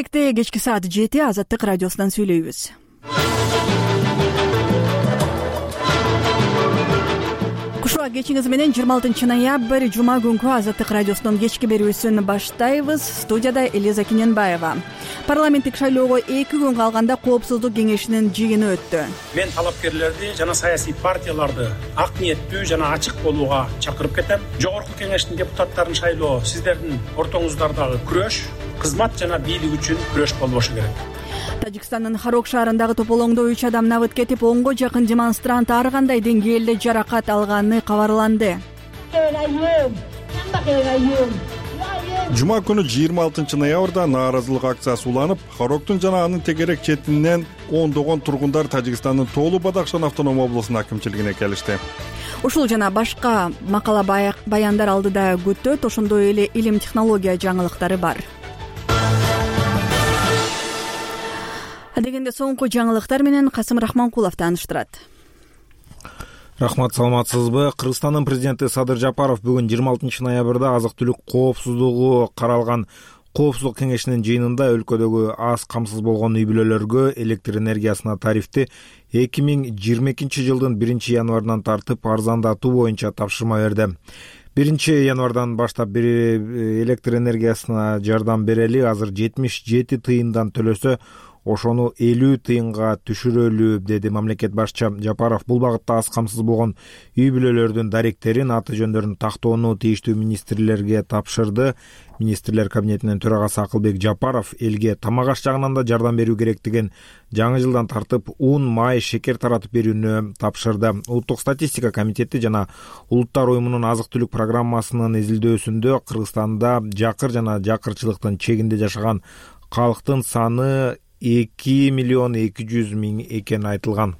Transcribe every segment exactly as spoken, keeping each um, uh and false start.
Кечки саат жети Азаттык радиосунан сүйлөйбүз. Кушуа кечиңиз менен жыйырма алтынчы ноябрь жума күнкү Азаттык радиосунун кечки берүүсүн баштайбыз. Студияда Элиза Кененбаева. Парламенттик шайлоого эки күн калганда Коопсуздук кеңешинин жыйыны өттү. Мен талапкерлерди жана саясий партияларды ак ниеттүү жана ачык болууга чакырып кетем. Жогорку кеңештин депутаттарын шайлоо сиздердин ортоңуздардагы күрөш, кызмат жана бийлик үчүн күрөш болбошу керек. Тажикстандын Харок шаарындагы тополоңдо үч адам набыт кетип, онго жакын демонстрант ар кандай деңгээлде жаракат алганы кабарланды. Жума күнү жыйырма алтынчы ноябрда нааразылык акциясы уланып, Хароктун жана анын тегерек четинен ондогон тургундар Тажикстандын Тоолу Бадахшан автоном облусунун акимчилигине келишти. Ушул жана башка макала баяндар алдыда күтөт. Ошондой эле илим технология жаңылыктары бар. Дегенде соңку жаңылыктар менен Касым Рахманкулов тааныштырат. Рахмат, саламатсызбы? Кыргызстандын президенти Садыр Жапаров бүгүн жыйырма алтынчы ноябрда азык-түлүк коопсуздугу каралган Коопсуздук кеңешинин жыйынында өлкөдөгү аз камсыз болгон үй бүлөлөргө электр энергиясына тарифти эки миң жыйырма экинчи жылдын биринчи январынан тартып арзандатуу боюнча тапшырма берди. биринчи январдан баштап электр энергиясына жардам берели. Азыр жетимиш жети тыйындан төлөсө ошону элүү тыйынга түшүрөлү, деди мамлекет башчы Жапаров. Бул багытта аз камсыз болгон үй бүлөлөрдүн даректерин, аты жөндөрүн тактоону тийиштүү министрлерге тапшырды. Министрлер кабинетинин төрагасы Акылбек Жапаров элге тамак аш жагынан да жардам берүү керектигин жаңы жылдан тартып ун, май, шекер таратып берүүнү тапшырды. Улуттук статистика комитети жана Улуттар уюмунун азык-түлүк программасынын изилдөөсүндө Кыргызстанда жакыр жана жакырчылыктын чегинде жашаган калктын саны эки миллион эки жүз миң экени айтылган.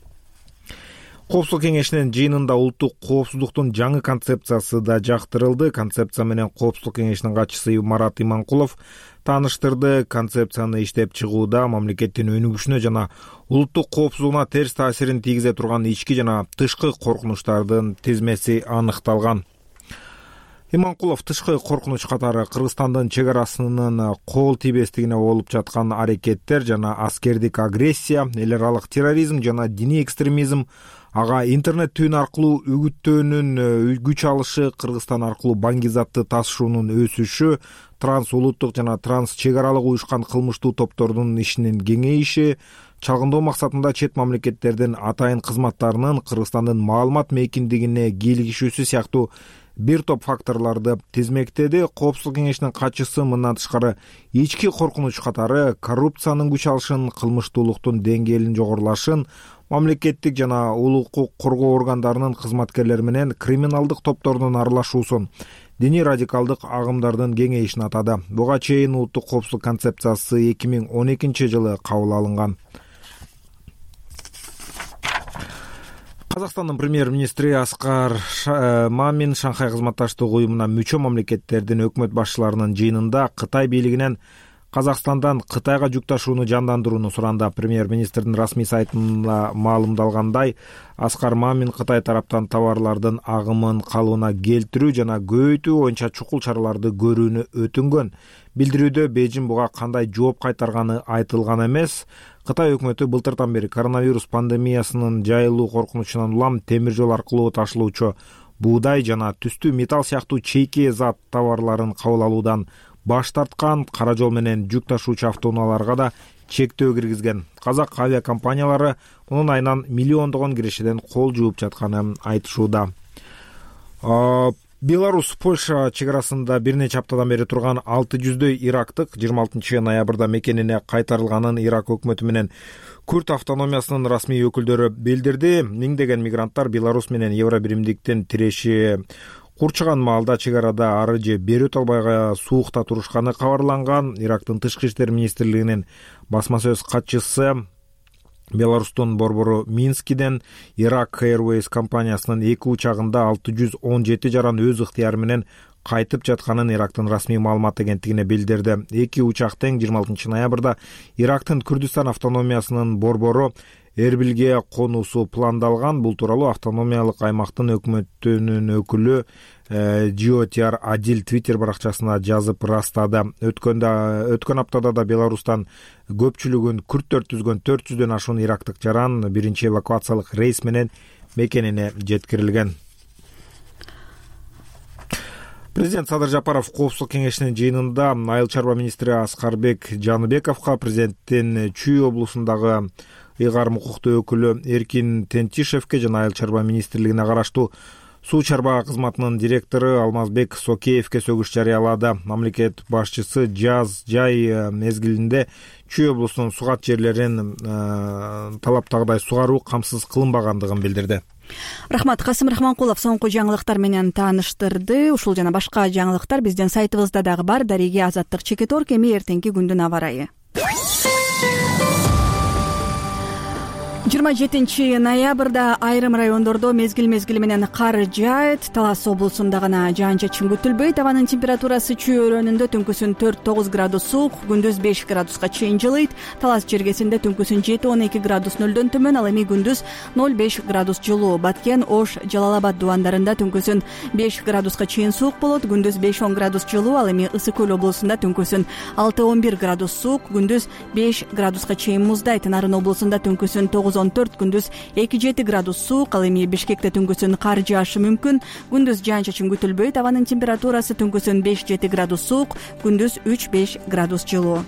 Коопсуздук кеңешинин жыйынында улуттук коопсуздуктун жаңы концепциясы да жактырылды. Концепция менен Коопсуздук кеңешинин катчысы Марат Иманкулов тааныштырды. Концепцияны иштеп чыгууда мамлекеттин өнүгүшүнө жана улуттук коопсуздугуна терс таасирин тийгизе турган ички жана тышкы коркунучтардын тизмеси аныкталган. Иманкулов тышкы коркунуч катары Кыргызстандын чек арасынын кол тийбестигине болуп жаткан аракеттер жана аскердик агрессия, эл аралык терроризм жана диний экстремизм, ага интернет түн аркылуу үгүттөөнүн күч алышы, Кыргызстан аркылуу баңгизатты тасышуунун өсүшү, транс улуттук жана транс чек аралык уюшкан кылмыштуу топтордун ишинин кеңейиши, чалгындоо максатында чет мамлекеттердин атайын кызматтарынын Кыргызстандын маалымат мейкиндигине кийлигишүүсү сыяктуу бир топ факторлорду тизмектеди. Коопсуздук кеңешинин катчысы мындан тышкары ички коркунуч катары коррупциянын күч алышын, кылмыштуулуктун деңгээлинин жогорулашын, мамлекеттик жана улуу укук коргоо органдарынын кызматкерлери менен криминалдык топтордун аралашуусун, диний радикалдык агымдардын кеңейишин атады. Буга чейин улуттук коопсуздук концепциясы эки миң он экинчи жылы кабыл алынган. Казакстандын премьер-министри Аскар Мамин Шанхай кызматташтык уюмуна мүчө мамлекеттердин өкмөт башчыларынын жыйынында Кытай бийлигинен Казакстандан Кытайга жүк ташууну жандандырууну суранды. Премьер-министрдин расмий сайтында маалымдалгандай, Аскар Мамин Кытай тараптан товарлардын агымын калыбына келтирүү жана көбөйтүү боюнча чукул чараларды көрүүнү өтүнгөн. Билдирүүдө Бейжин буга кандай жооп кайтарганы айтылган эмес. Кытай өкмөтү былтырдан бери коронавирус пандемиясынын жайылуу коркунучунан улам темир жол аркылуу ташылуучу буудай жана түстүү металл сыяктуу чейки зат товарларын кабыл алуудан баш тарткан. Кара жол менен жүк ташуучу автоунааларга да чектөө киргизген. Казак авиакомпаниялары мунун айынан миллиондогон кирешеден кол жууп жатканын айтышууда. Беларусь Польша чек арасында бир нече аптадан бери турган алты жүздөй ирактык жыйырма алтынчы ноябрда мекенине кайтарылганын Ирак өкмөтү менен Күрд автономиясынын расмий өкүлдөрү билдирди. Миңдеген мигранттар Беларусь менен Евробиримдиктин тиреши курчаган маалда чек арада ары же бери өтө албай суукта турушканы кабарланган. Ирактын тышкы иштер министрлигинин басма сөз катчысы Беларустун борбору Минскиден Iraq Airways компаниясынын эки учагында алты жүз он жети жаран өз ыктыяры менен кайтып жатканын Ирактын расмий маалымат агенттигине билдирди. Эки учак тең жыйырма алтынчы ноябрда Ирактын Күрдүстан автономиясынын борбору Эрбилге конуусу пландалган. Бул тууралуу автономиялык аймактын өкмөтүнүн өкүлү Жиотиар Адил Твиттер баракчасына жазып ырастады. Өткөндө өткөн аптада да Беларустан көпчүлүгүн күрттөр түзгөн төрт жүздөн ашуун ирактык жаран биринчи эвакуациялык рейс менен мекенине жеткирилген. Президент Садыр Жапаров Коопсуздук кеңешинин жыйынында Айыл чарба министри Аскарбек Жаныбековго президенттин Чүй облусундагы ыйгарым укуктуу өкүлү Эркин Тентишевке жана Айыл чарба министрлигине караштуу суу чарба кызматынын директору Алмазбек Сокеевке сөгүш жарыялады. Мамлекет башчысы жаз жай мезгилинде Чүй облусунун сугат жерлерин талаптагыдай сугаруу камсыз кылынбагандыгын билдирди. Рахмат. Касым Рахманкулов соңку жаңылыктар менен тааныштырды. Ушул жана башка жаңылыктар биздин сайтыбызда дагы бар. Дареги Азаттык Чекеторг. Эми эртеңки күндүн аба ырайы. жыйырма жетинчи ноябрда айрым райондордо мезгил мезгили менен кар жаайт. Талас облусунда гана жаан-чачын күтүлбөйт. Абанын температурасы Чүй өрөөнүндө түнкүсүн төрт тогуз градус суук, күндүз беш градуска чейин жылыйт. Талас жергесинде түнкүсүн жети он эки градус нөлдөн төмөн, ал эми күндүз ноль беш градус жылуу. Баткен, Ош, Жалал-Абад дубандарында түнкүсүн беш градуска чейин суук болот, күндүз беш он градус жылуу. Ал эми Ысык көл облусунда түнкүсүн алты он бир градус суук, күндүз беш градуска чейин муздайт. Нарын облусунда түнкүсүн тогуз он төрт, күндүз эки жети градус суук. Ал эми Бишкекте түнкүсүн кар жаашы мүмкүн, күндүз жаан-чачын күтүлбөйт. Абанын температурасы түнкүсүн беш жети градус суук, күндүз үч беш градус жылуу.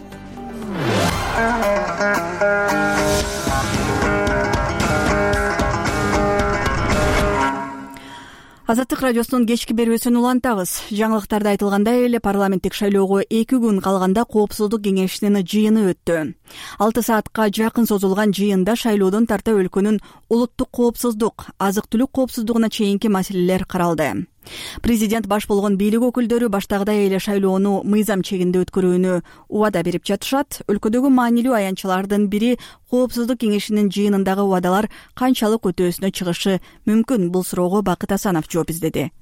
Азаттык радиосунун кечки берүүсүн улантабыз. Жаңылыктарда айтылгандай эле парламенттик шайлоого эки күн калганда Коопсуздук кеңешинин жыйыны өттү. алты саатка жакын созулган жыйында шайлоодон тарта өлкөнүн улуттук коопсуздук, азык-түлүк коопсуздугуна чейинки маселелер каралды. Президент баш болгон бийлик өкүлдөрү баштагыдай эле шайлоону мыйзам чегинде өткөрүүнү убада берип жатышат. Өлкөдөгү маанилүү аянтчалардын бири Коопсуздук кеңешинин жыйынындагы убадалар канчалык өтөөсүнө чыгышы мүмкүн? Бул суроого Бакыт Асанов жооп издеди.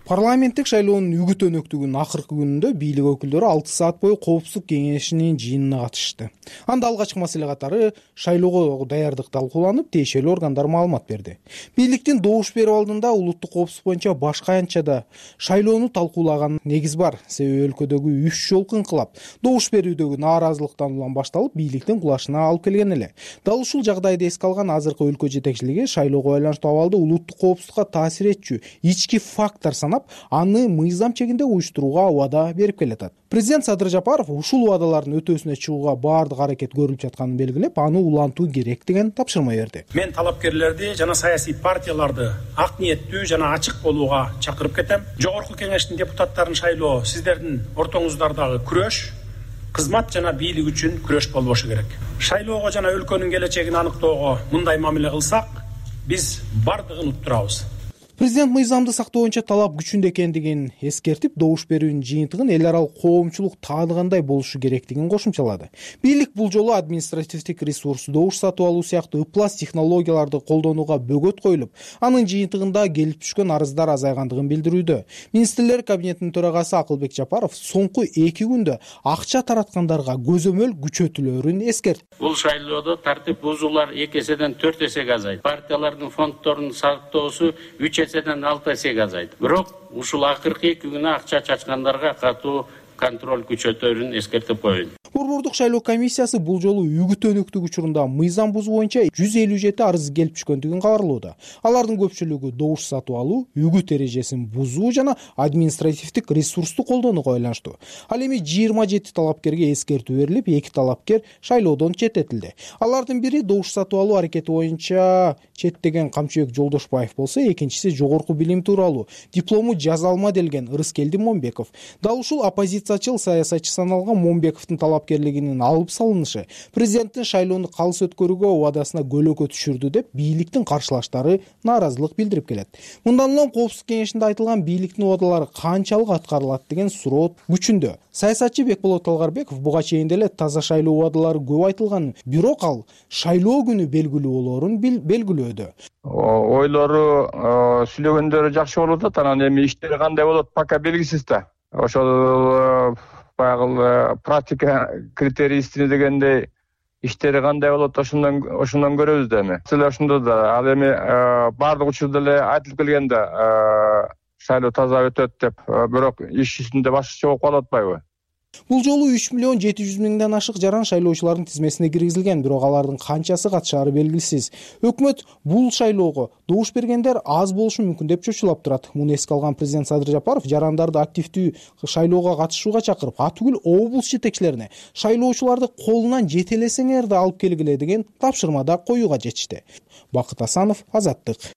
Парламенттик шайлоонун үгүт өнөктүгүнүн акыркы күнүндө бийлик өкүлдөрү алты саат бою Коопсуздук кеңешинин жыйынына катышты. Анда алгачкы маселе катары шайлоого даярдык талкууланып, тиешелүү органдар маалымат берди. Бийликтин добуш берүү алдында улуттук коопсуздук боюнча башка аянтчада шайлоону талкуулаган негиз бар. Себеби өлкөдөгү үч жолку инкылап добуш берүүдөгү нааразылыктан улам башталып, бийликтин кулашына алып келген эле. Дал ушул жагдайды эске алган азыркы өлкө жетекчилиги шайлоого байланыштуу абалды улуттук коопсуздукка таасир этчү ички фактор санап, аны мыйзам чегинде уюштурууга убада берип келатат. Президент Садыр Жапаров ушул убадалардын өтөөсүнө чыгууга баардык аракет көрүлүп жатканын белгилеп, аны улантуу керек деген тапшырма берди. Мен талапкерлерди жана саясий партияларды ак ниеттүү жана ачык болууга чакырып кетем. Жогорку кеңештин депутаттарын шайлоо сиздердин ортоңуздардагы күрөш, кызмат жана бийлик үчүн күрөш болбошу керек. Шайлоого жана өлкөнүн келечегин аныктоого мындай мамиле кылсак, биз бардыгын уттурабыз. Президент мыйзамды сактоо боюнча талап күчүндө экендигин эскертип, добуш берүүнүн жыйынтыгын эл аралык коомчулук тааныгандай болушу керектигин кошумчалады. Бийлик бул жолу административдик ресурс, добуш сатып алуу сыяктуу ыплас технологияларды колдонууга бөгөт коюлуп, анын жыйынтыгында келип түшкөн арыздар азайгандыгын билдирүүдө. Министрлер кабинетинин төрагасы Акылбек Жапаров соңку эки күндө акча тараткандарга көзөмөл күчөтүлөрүн эскертти. Бул шайлоодо тартип бузуулар эки эседен төрт эсеге азайт. Партиялардын фонддорунун сактоосу үч эседен алты эсеге азайт. Бирок ушул акыркы эки күнү акча чачкандарга катуу контроль күчөтөрүн эскертип коеюн. Борбордук шайлоо комиссиясы бул жолу үгүт өнөктүк учурунда мыйзам бузуу боюнча жүз элүү жети арыз келип түшкөндүгүн кабарлоодо. Алардын көпчүлүгү добуш сатып алуу, үгүт эрежесин бузуу жана административдик ресурсту колдонууга байланыштуу. Ал эми жыйырма жети талапкерге эскертүү берилип, эки талапкер шайлоодон четтетилди. Алардын бири добуш сатып алуу аракети боюнча четтеген Камчыбек Жолдошбаев болсо, экинчиси жогорку билим тууралуу диплому жаза алма делген Ырыскелди Момбеков. Дал ушул оппозициячыл саясатчы саналган Момбековдун талапкерлигинин алып салынышы президенттин шайлоону калыс өткөрүүгө убадасына көлөкө түшүрдү деп бийликтин каршылаштары нааразылык билдирип келет. Мындан улам Коопсуздук кеңешинде айтылган бийликтин убадалары канчалык аткарылат деген суроо күчүндө. Саясатчы Бекболот Талгарбеков буга чейин деле таза шайлоо убадалары көп айтылганын, бирок ал шайлоо күнү белгилүү болоорун белгилөөдө. Ойлору, сүйлөгөндөрү жакшы болуп атат, анан эми иштери кандай болот пока белгисиз да. Ошол баягы практика критерийсине дегендей иштери кандай болот, ошондон ошондон көрөбүз да эми. Силер ошондо да ал эми баардык учурда эле айтылып келген да, шайлоо таза өтөт деп, бирок иш жүзүндө башкача болуп калып атпайбы? Бул жолу үч миллион жети жүз миңден ашык жаран шайлоочулардын тизмесине киргизилген, бирок алардын канчасы катышаары белгисиз. Өкмөт бул шайлоого добуш бергендер аз болушу мүмкүн деп чочулап турат. Муну эске алган президент Садыр Жапаров жарандарды активдүү шайлоого катышууга чакырып, атүгүл облус жетекчилерине шайлоочуларды колунан жете элесеңер да алып келгиле деген тапшырма да коюуга жетишти. Бакыт Асанов, Азаттык.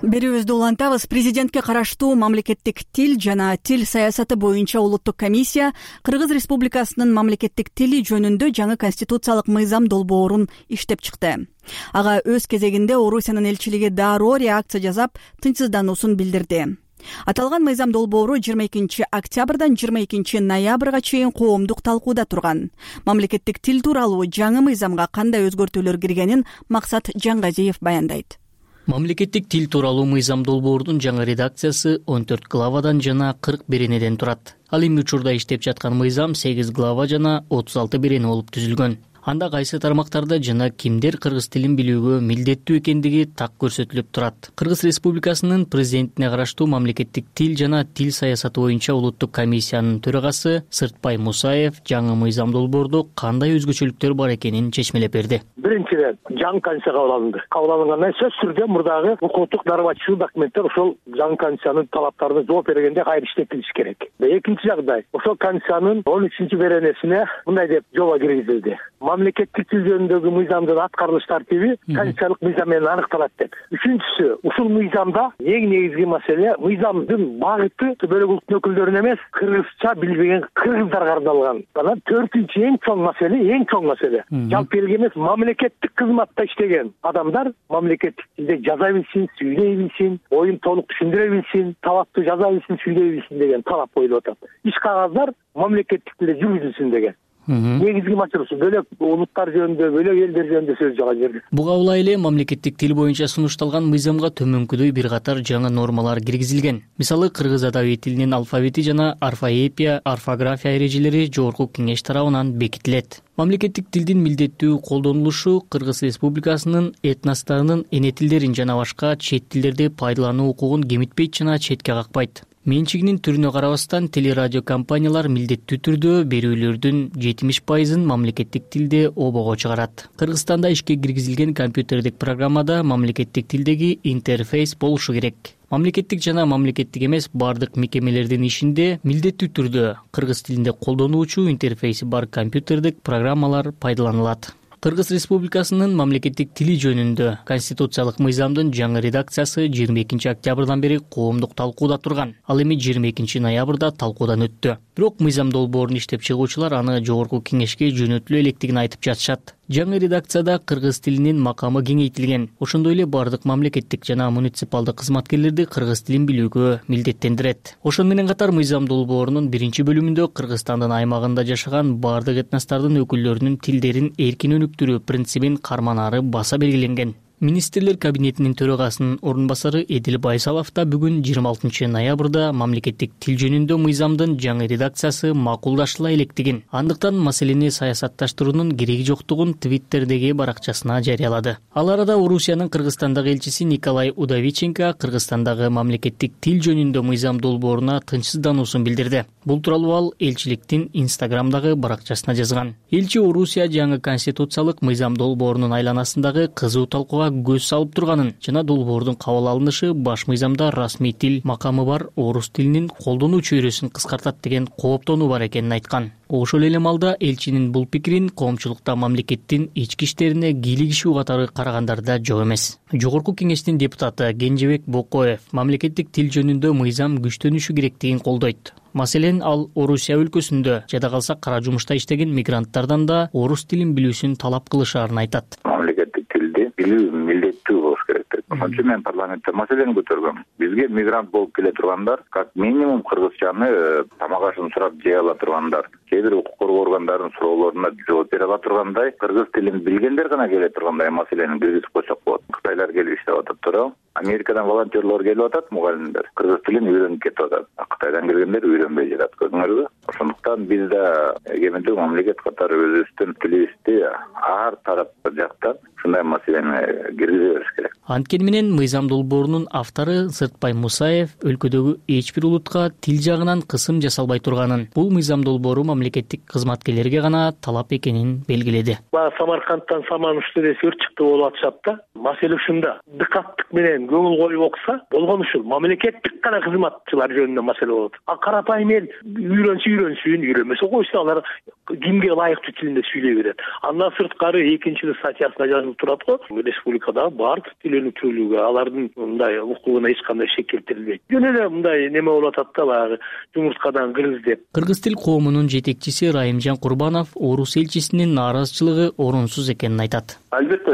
Берүүбүздү улантабыз. Президентке караштуу мамлекеттик тил жана тил саясаты боюнча улуттук комиссия Кыргыз Республикасынын мамлекеттик тили жөнүндө жаңы конституциялык мыйзам долбоорун иштеп чыкты. Ага өз кезегинде Орусиянын элчилиги дароо реакция жасап, тынчсыздануусун билдирди. Аталган мыйзам долбоору жыйырма экинчи октябрдан жыйырма экинчи ноябрга чейин коомдук талкууда турган. Мамлекеттик тил тууралуу жаңы мыйзамга кандай өзгөртүүлөр киргенин Максат Жангазиев баяндайт. Мамлекеттик тил тууралуу мыйзам долбоордун жаңы редакциясы он төрт главадан жана кырк беренеден турат. Ал эми учурда иштеп жаткан мыйзам сегиз глава жана отуз алты берене болуп түзүлгөн. Анда кайсы тармактарда жана кимдер кыргыз тилин билүүгө милдеттүү экендиги так көрсөтүлүп турат. Кыргыз Республикасынын президентине караштуу мамлекеттик тил жана тил саясаты боюнча улуттук комиссиянын төрагасы Сыртбай Мусаев жаңы мыйзам долбоордо кандай өзгөчөлүктөр бар экенин чечмелеп берди. Биринчиден, жаңы конституция кабыл алынды. Кабыл алынгандан сөзсүз түрдө мурдагы укуктук нормативдик документтер ошол жаңы конституциянын талаптарына жооп бергенде кайра иштетилиш керек. Экинчи жагдай, ошол конституциянын он үчүнчү беренесине мындай деп жоба киргизилди. Мамлекеттик тил жөнүндөгү мыйзамдын аткарылыш тартиби конституциялык мыйзам менен аныкталат деп. Үчүнчүсү, ушул мыйзамда эң негизги маселе мыйзамдын багыты бөлөк улуттун өкүлдөрүнө эмес, кыргызча билбеген кыргыздарга арналган. Анан төртүнчү эң чоң маселе, эң чоң маселе. Жалпы элге эмес, мамлекеттик кызматта иштеген адамдар мамлекеттик тилде жаза билсин, сүйлөй билсин, оюн толук түшүндүрө билсин, талапты жаза билсин, сүйлөй билсин деген талап коюлуп атат. Иш кагаздар мамлекеттик тилде жүргүзүлсүн деген. Негизги маселеси бөлөк улуттар жөнүндө, бөлөк элдер жөнүндө сөз жаган жерде. Буга улай эле мамлекеттик тил боюнча сунушталган мыйзамга төмөнкүдөй бир катар жаңы нормалар киргизилген. Мисалы, кыргыз адаби тилинин алфавити жана орфоэпия, орфография эрежелери жогорку кеңеш тарабынан бекитилет. Мамлекеттик тилдин милдеттүү колдонулушу Кыргыз Республикасынын этносторунун эне тилдерин жана башка чет тилдерди пайдалануу укугун кемитпейт жана четке какпайт. Менчигинин түрүнө карабастан телерадио компаниялар милдеттүү түрдө берүүлөрдүн жетимиш пайызын мамлекеттик тилде обого чыгарат. Кыргызстанда ишке киргизилген компьютердик программада мамлекеттик тилдеги интерфейс болушу керек. Мамлекеттик жана мамлекеттик эмес бардык мекемелердин ишинде милдеттүү түрдө кыргыз тилинде колдонулуучу интерфейси бар компьютердик программалар пайдаланылат. Кыргыз Республикасынын мамлекеттик тили жөнүндө конституциялык мыйзамдын жаңы редакциясы жыйырма экинчи октябрдан бери коомдук талкууда турган. Ал эми жыйырма экинчи ноябрда талкуудан өттү. Бирок мыйзам долбоорун иштеп чыгуучулар аны жогорку кеңешке жөнөтүлө электигин айтып жатышат. Жаңы редакцияда кыргыз тилинин макамы кеңейтилген. Ошондой эле бардык мамлекеттик жана муниципалдык кызматкерлерди кыргыз тилин билүүгө милдеттендирет. Ошону менен катар мыйзам долбоорунун биринчи бөлүмүндө Кыргызстандын аймагында жашаган бардык этностордун өкүлдөрүнүн тилдерин эркин өнүктүрүү принцибин карманаары баса белгиленген. Министрлер кабинетинин төрагасынын орун басары Эдил Байсалов да бүгүн жыйырма алтынчы ноябрда мамлекеттик тил жөнүндө мыйзамдын жаңы редакциясы макулдашыла электигин, андыктан маселени саясатташтыруунун кереги жоктугун Твиттердеги баракчасына жарыялады. Ал арада Орусиянын Кыргызстандагы элчиси Николай Удовиченко Кыргызстандагы мамлекеттик тил жөнүндө мыйзам долбооруна тынчсыздануусун билдирди. Бул тууралуу ал элчиликтин Инстаграмдагы баракчасына жазган. Элчи Орусия жаңы конституциялык мыйзам долбоорунун айланасындагы кызуу талкууга көз салып турганын жана долбоордун кабыл алынышы баш мыйзамда расмий тил макамы бар орус тилинин колдонуу чөйрөсүн кыскартат деген кооптонуу бар экенин айткан. Ошол эле малда элчинин бул пикирин коомчулукта мамлекеттин ички иштерине кийлигишүү катары карагандарда жок эмес. Жогорку кеңештин депутаты Кенжебек Бокоев мамлекеттик тил жөнүндө мыйзам күчтөнүшү керектигин колдойт. Маселен, ал Орусия өлкөсүндө жада калса кара жумушта иштеген мигранттардан да орус тилин билүүсүн талап кылышаарын айтат. Мамлекеттик тилди билүү милдеттүү болуш керек. Ошон үчүн мен парламентте маселени көтөргөм. Бизге мигрант болуп келе тургандар, как минимум кыргызчаны тамак ашын сурап жей ала тургандар, кээ бир укук коргоо органдарынын суроолоруна жооп бере ала тургандай, кыргыз тилин билгендер гана келе тургандай маселени киргизип койсок болот. Кытайлар келип иштеп атат туурабы? Америкадан волонтерлор келип атат, мугалимдер кыргыз тилин үйрөнүп кетип атат. Кытайдан келгендер үйрөнбөй жатат, көрдүңөрбү? Ошондуктан биз да эгемендүү мамлекет катары өзүбүздүн тилибизди ар тарап жактан ушундай маселени киргизе бериш керек. Анткени менен мыйзам долбоорунун автору Сыртбай Мусаев өлкөдөгү эч бир улутка тил жагынан кысым жасалбай турганын, бул мыйзам долбоору мамлекеттик кызматкерлерге гана талап экенин белгиледи. Баягы Самаркандтан Саман Уштедес өрт чыкты болуп атышат да. Маселе ушунда. Дыкаттык менен көңүл коюп окуса болгон ушул. Мамлекеттик гана кызматчылар жөнүндө маселе болот. А карапайым эл үйрөнсө үйрөнсүн, үйрөнбөсө койсун, алар кимге ылайыктуу тилинде сүйлөй берет. Андан сырткары экинчи статьясында жазылып турат го, республикада баардык тил өнүктүрүүгө алардын мындай укугуна эч кандай шек келтирилбейт. Жөн эле мындай неме болуп атат да, баягы жумурткадан кыргыз деп. Кыргыз тил коомунун жетекчиси Райымжан Курбанов орус элчисинин нааразычылыгы орунсуз экенин айтат. Албетте,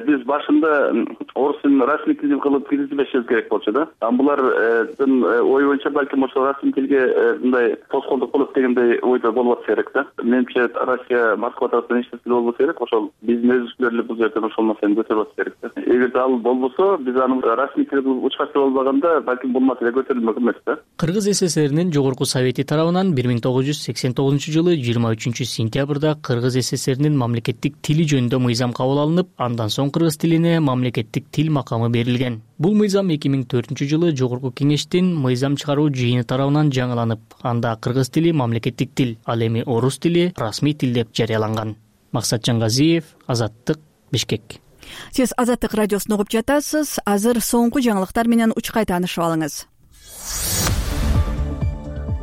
биз башында орус тилин расмий тил кылып киргизбешибиз керек болчу да. Булардын ой боюнча балким ошо расмий тилге мындай тоскоолдук болот дегендей ойдо болуп атса керек да. Менимче Россия, Москва тараптан эч нерсе болбосо керек, ошол биздин өзүчүлөр эле бул жерден ошол маселени көтөрүп атса керек да. Эгерде ал болбосо, биз аны расмий тилге учкачы болбаганда балким бул маселе көтөрүлмөк эмес да. Кыргыз СССРинин Жогорку Совети тарабынан бир миң тогуз жүз сексен тогузунчу жылы жыйырма үчүнчү сентябрда Кыргыз СССРинин мамлекеттик тили жөнүндө мыйзам кабыл алынып, андан соң кыргыз тилине мамлекеттик тил макамы берилген. Бул мыйзам эки миң төртүнчү жылы Жогорку Кеңештин мыйзам чыгаруу жыйыны тарабынан жаңыланып, анда кыргыз тили мамлекеттик тил, ал эми орус тили расмий тил деп жарыяланган. Максатжан Газиев, Азаттык, Бишкек. Сиз Азаттык радиосун угуп жатасыз. Азыр соңку жаңылыктар менен учкай таанышып алыңыз.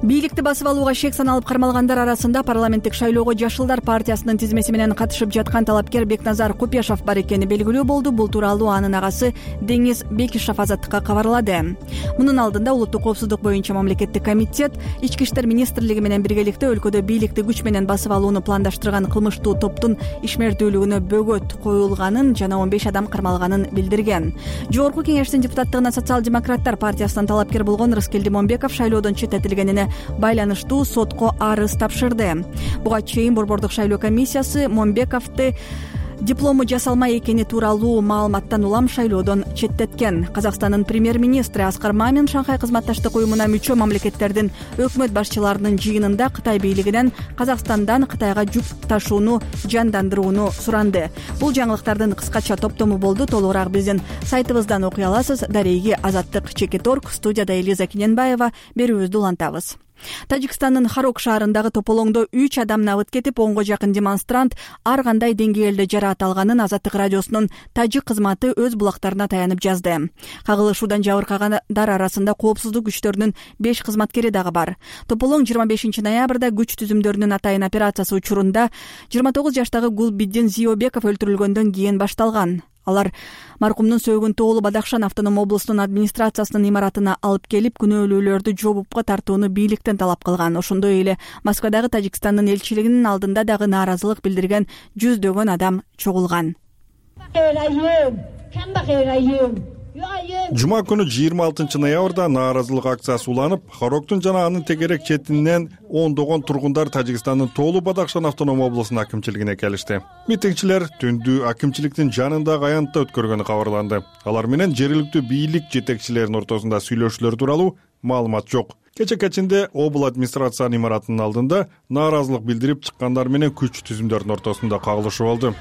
Бийликти басып алууга шек саналып кармалгандар арасында парламенттик шайлоого Жашылдар партиясынын тизмеси менен катышып жаткан талапкер Бекназар Купешов бар экени белгилүү болду. Бул тууралуу анын агасы Деңиз Бекишев Азаттыкка кабарлады. Мунун алдында улуттук коопсуздук боюнча мамлекеттик комитет Ички иштер министрлиги менен биргеликте өлкөдө бийликти күч менен басып алууну пландаштырган кылмыштуу топтун ишмердүүлүгүнө бөгөт коюлганын жана он беш адам кармалганын билдирген. Жогорку Кеңештин депутаттыгына социал-демократтар партиясынан талапкер болгон Рыскелди Момбеков шайлоодон четтетилгенине байланыштуу сотко арыз тапшырды. Буга чейин Борбордук шайлоо комиссиясы Момбековду диплому жасалмай экени тууралуу маалыматтан улам шайлоодон четтеткен. Казакстандын премьер-министри Аскар Мамин Шанхай кызматташтык уюмуна мүчө мамлекеттердин өкмөт башчыларынын жыйынында Кытай бийлигинен Казакстандан Кытайга жүк ташууну жандандырууну суранды. Бул жаңылыктардын кыскача топтому болду. Толугураак биздин сайтыбыздан окуй аласыз. Дареги Азаттык Чекит точка орг. Студияда Элиза Кененбаева. Берүүбүздү улантабыз. Тажикстандын Харок шаарындагы тополоңдо үч адам набыт кетип, онго жакын демонстрант ар кандай деңгээлде жараат алганын Азаттык радиосунун тажик кызматы өз булактарына таянып жазды. Кагылышуудан жабыркагандар арасында коопсуздук күчтөрүнүн беш кызматкери дагы бар. Тополоң жыйырма бешинчи ноябрда күч түзүмдөрүнүн атайын операциясы учурунда жыйырма тогуз жаштагы Гулбиддин Зиобеков өлтүрүлгөндөн кийин башталган. Алар маркумдун сөөгүн тоолу Бадахшан автоном облусунун администрациясынын имаратына алып келип, күнөөлүүлөрдү жоопка тартууну бийликтен талап кылган. Ошондой эле Москвадагы Тажикстандын элчилигинин алдында дагы нааразылык билдирген жүздөгөн адам чогулган. Жума күнү жыйырма алтынчы ноябрда нааразылык акциясы уланып, Хароктун жана анын тегерек четинен ондогон тургундар Тажикстандын тоолу Бадахшан автоном облусунун акимчилигине келишти. Митингчилер түндү акимчиликтин жанындагы аянтта өткөргөнү кабарланды. Алар менен жергиликтүү бийлик жетекчилеринин ортосунда сүйлөшүүлөр тууралуу маалымат жок. Кече кечинде обл администрациянын имаратынын алдында нааразылык билдирип чыккандар менен күч түзүмдөрдүн ортосунда кагылышуу болду.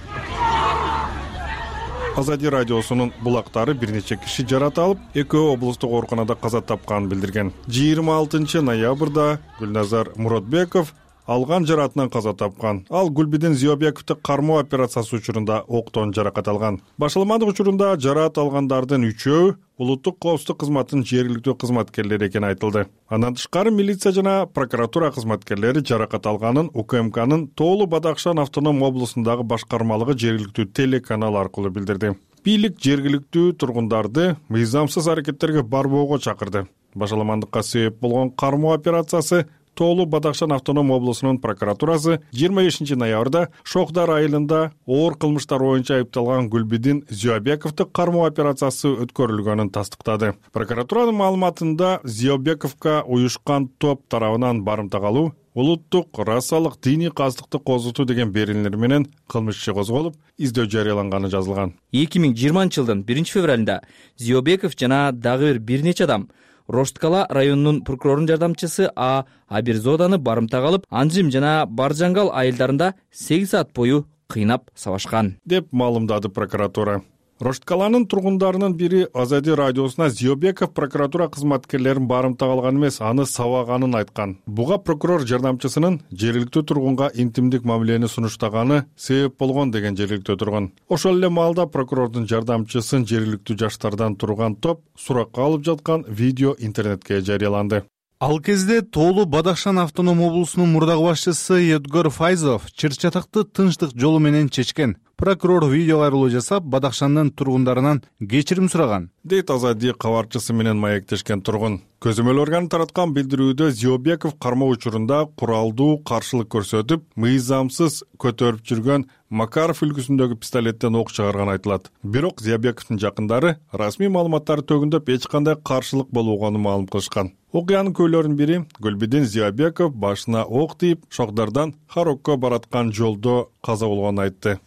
Азади радиосунун булактары бир нече киши жараат алып, экөө облустук ооруканада каза тапканын билдирген. жыйырма алтынчы ноябрда Гүлназар Муродбеков алган жараатынан каза тапкан. Ал Гулбиддин Зиобековду кармоо операциясы учурунда октон жаракат алган. Башаламандык учурунда жараат алгандардын үчөө улуттук коопсуздук кызматынын жергиликтүү кызматкерлери экени айтылды. Андан тышкары милиция жана прокуратура кызматкерлери жаракат алганын УКМКнын тоолу Бадахшан автоном облусундагы башкармалыгы жергиликтүү телеканал аркылуу билдирди. Бийлик жергиликтүү тургундарды мыйзамсыз аракеттерге барбоого чакырды. Башаламандыкка себеп болгон кармоо операциясы тоолу Бадахшан автоном облусунун прокуратурасы жыйырма бешинчи ноябрда Шохдар айылында оор кылмыштар боюнча айыпталган Гулбиддин Зиобековду кармоо операциясы өткөрүлгөнүн тастыктады. Прокуратуранын маалыматында Зиобековго уюшкан топ тарабынан барымта калуу, улуттук расалык диний кастыкты козготуу деген берилер менен кылмыш иши козголуп, издөө жарыяланганы жазылган. эки миң жыйырманчы жылдын биринчи февралында Зиобеков жана дагы бир бир нече адам Рошткала районунун прокурорунун жардамчысы А Абирзоданы барымтага алып, Анжим жана Баржангал айылдарында сегиз саат бою кыйнап сабашкан, деп маалымдады прокуратура. Рошткаланын тургундарынын бири Азади радиосуна Зиобеков прокуратура кызматкерлерин барымтага алган эмес, аны сабаганын айткан. Буга прокурор жардамчысынын жергиликтүү тургунга интимдик мамилени сунуштаганы себеп болгон деген жергиликтүү тургун. Ошол эле маалда прокурордун жардамчысын жергиликтүү жаштардан турган топ суракка алып жаткан видео интернетке жарыяланды. Ал кезде Тоолу Бадахшан автоном облусунун мурдагы башчысы Эдгар Файзов чыр-чатакты тынчтык жолу менен чечкен. Прокурор видео кайрылуу жасап, Бадахшандын тургундарынан кечирим сураган, дейт Азади кабарчысы менен маектешкен тургун. Көзөмөл органы тараткан билдирүүдө Зиобеков кармоо учурунда куралдуу каршылык көрсөтүп, мыйзамсыз көтөрүп жүргөн Макаров үлгүсүндөгү пистолеттен ок чыгарганы айтылат. Бирок Зиобековдун жакындары расмий маалыматтарды төгүндөп эч кандай каршылык болбогонун маалым кылышкан. Окуянын күбөлөрүнүн бири Гүлбидин Зиобеков башына ок тийип, Шокдардан Харокко бараткан жолдо каза болгонун айтты.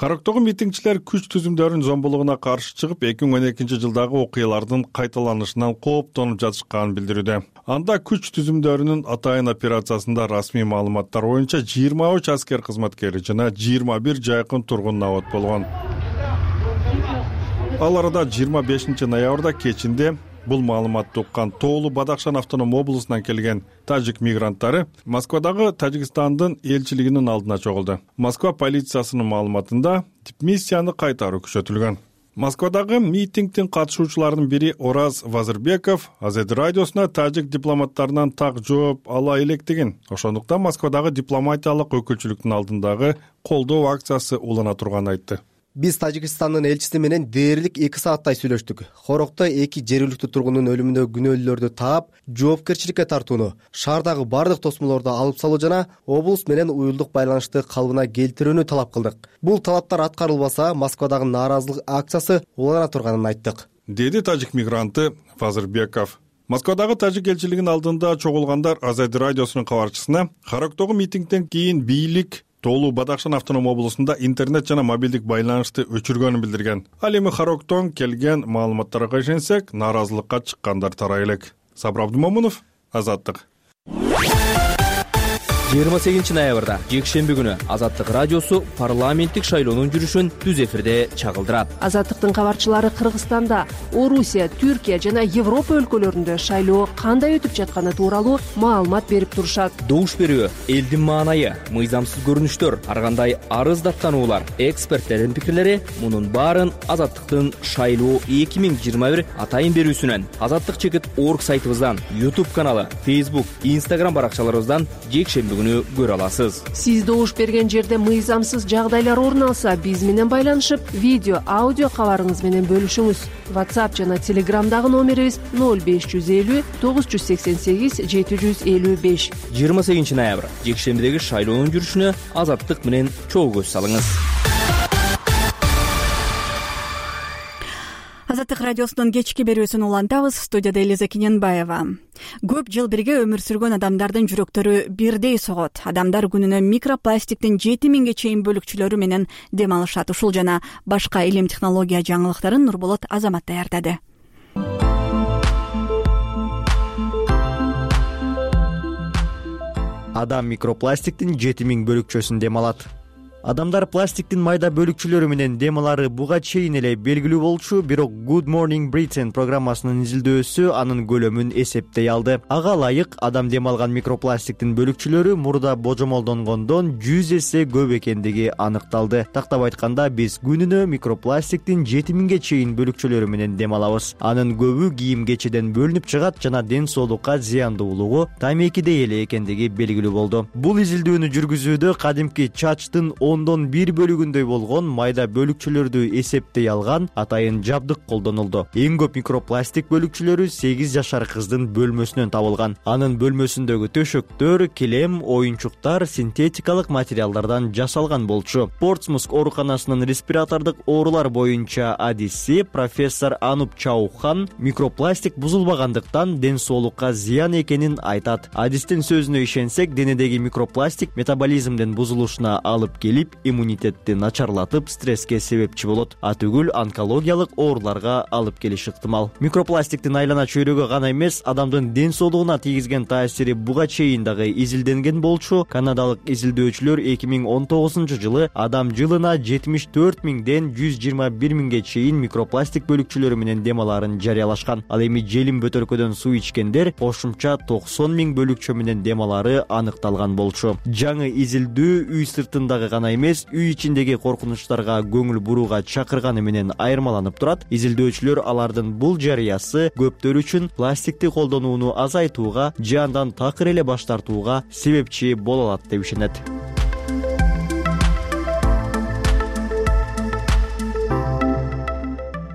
Характогу митингчилер күч түзүмдөрүнүн зомбулугуна каршы чыгып, эки миң он экинчи жылдагы окуялардын кайталанышынан кооптонуп жатышканын билдирүүдө. Анда күч түзүмдөрүнүн атайын операциясында расмий маалыматтар боюнча жыйырма үч аскер кызматкери жана жыйырма бир жайкын тургун набат болгон. Ал арада жыйырма бешинчи ноябрда кечинде бул маалыматты уккан Тоолу Бадахшан автоном облусунан келген тажик мигранттары Москвадагы Тажикстандын элчилигинин алдына чогулду. Москва полициясынын маалыматында дипмиссияны кайтаруу күчөтүлгөн. Москвадагы митингдин катышуучуларынын бири Ораз Вазырбеков Азади радиосуна тажик дипломаттарынан так жооп ала электигин, ошондуктан Москвадагы дипломатиялык өкүлчүлүктүн алдындагы колдоо акциясы улана турганын айтты. Биз Тажикстандын элчиси менен дээрлик эки сааттай сүйлөштүк. Хорокто эки жергиликтүү тургундун өлүмүнө күнөөлүүлөрдү таап, жоопкерчиликке тартууну, шаардагы бардык тосмолорду алып салуу жана облус менен уюлдук байланышты калыбына келтирүүнү талап кылдык. Бул талаптар аткарылбаса, Москвадагы нааразылык акциясы улана турганын айттык, деди тажик мигранты Вазырбеков. Москвадагы тажик элчилигинин алдында чогулгандар Азади радиосунун кабарчысына Характогу митингден кийин бийлик Тоолу Бадахшан автоном облусунда интернет жана мобилдик байланышты өчүргөнүн билдирген. Ал эми Характон келген маалыматтарга ишенсек, нааразылыкка чыккандар тарай элек. Сабыр Абдумомунов, Азаттык. жыйырма сегизинчи ноябрда жекшемби күнү Азаттык радиосу парламенттик шайлоонун жүрүшүн түз эфирде чагылдырат. Азаттыктын кабарчылары Кыргызстанда, Орусия, Түркия жана Европа өлкөлөрүндө шайлоо кандай өтүп жатканы тууралуу маалымат берип турушат. Добуш берүү, элдин маанайы, мыйзамсыз көрүнүштөр, ар кандай арыз даттануулар, эксперттердин пикирлери — мунун баарын Азаттыктын шайлоо эки миң жыйырма бир атайын берүүсүнөн, Азаттык чекит орг сайтыбыздан, YouTube каналы, Facebook, Instagram баракчаларыбыздан жекшемби күнү көрө аласыз. Сиз добуш берген жерде мыйзамсыз жагдайлар орун алса, биз менен байланышып, видео, аудио кабарыңыз менен бөлүшүңүз. WhatsApp жана Telegramдагы номерибиз ноль беш жүз элүү тогуз жүз сексен сегиз жети жүз элүү беш. жыйырма сегизинчи ноябрь жекшембидеги шайлоонун жүрүшүнө Азаттык менен чогуу көз салыңыз. Азаттык радиосунун кечки берүүсүн улантабыз. Студияда Элиза Кененбаева. Көп жыл бирге өмүр сүргөн адамдардын жүрөктөрү бирдей согот. Адамдар күнүнө микропластиктин жети миңге чейин бөлүкчөлөрү менен дем алышат. Ушул жана башка илим технология жаңылыктарын Нурболот Азамат даярдады. Адам микропластиктин жети миң бөлүкчөсүн дем алат. Адамдар пластиктин майда бөлүкчөлөрү менен дем алары буга чейин эле белгилүү болчу, бирок Good Morning Britain программасынын изилдөөсү анын көлөмүн эсептей алды. Ага ылайык адам дем алган микропластиктин бөлүкчөлөрү мурда божомолдонгондон жүз эсе көп экендиги аныкталды. Тактап айтканда, биз күнүнө микропластиктин жети миңге чейин бөлүкчөлөрү менен дем алабыз. Анын көбү кийим-кечеден бөлүнүп чыгат жана ден соолукка зыяндуулугу тамекидей эле экендиги белгилүү болду. Бул изилдөөнү жүргүзүүдө кадимки чачтын ондон бир бөлүгүндөй болгон майда бөлүкчөлөрдү эсептей алган атайын жабдык колдонулду. Эң көп микропластик бөлүкчөлөрү сегиз жашар кыздын бөлмөсүнөн табылган. Анын бөлмөсүндөгү төшөктөр, килем, оюнчуктар синтетикалык материалдардан жасалган болчу. Портсмут ооруканасынын респиратордук оорулар боюнча адиси профессор Ануп Чаухан микропластик бузулбагандыктан ден соолукка зыян экенин айтат. Адистин сөзүнө ишенсек, денедеги микропластик метаболизмдин бузулушуна алып келип, иммунитетти начарлатып, стресске себепчи болот, а түгүл онкологиялык ооруларга алып келиши ыктымал. Микропластиктин айлана чөйрөгө гана эмес, адамдын ден соолугуна тийгизген таасири буга чейин дагы изилденген болчу. Канадалык изилдөөчүлөр эки миң он тогузунчу жылы адам жылына жетимиш төрт миңден жүз жыйырма бир миңге чейин микропластик бөлүкчөлөрү менен дем алаарын жарыялашкан. Ал эми желим бөтөлкөдөн суу ичкендер кошумча токсон миң бөлүкчө менен дем алаары аныкталган болчу. Жаңы изилдөө үй сыртындагы гана эмес, үй ичиндеги коркунучтарга көңүл бурууга чакырганы менен айырмаланып турат. Изилдөөчүлөр алардын бул жарыясы көптөр үчүн пластикти колдонууну азайтууга же андан такыр эле баш тартууга себепчи боло алат деп ишенет.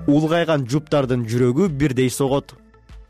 Улгайган жуптардын жүрөгү бирдей согот.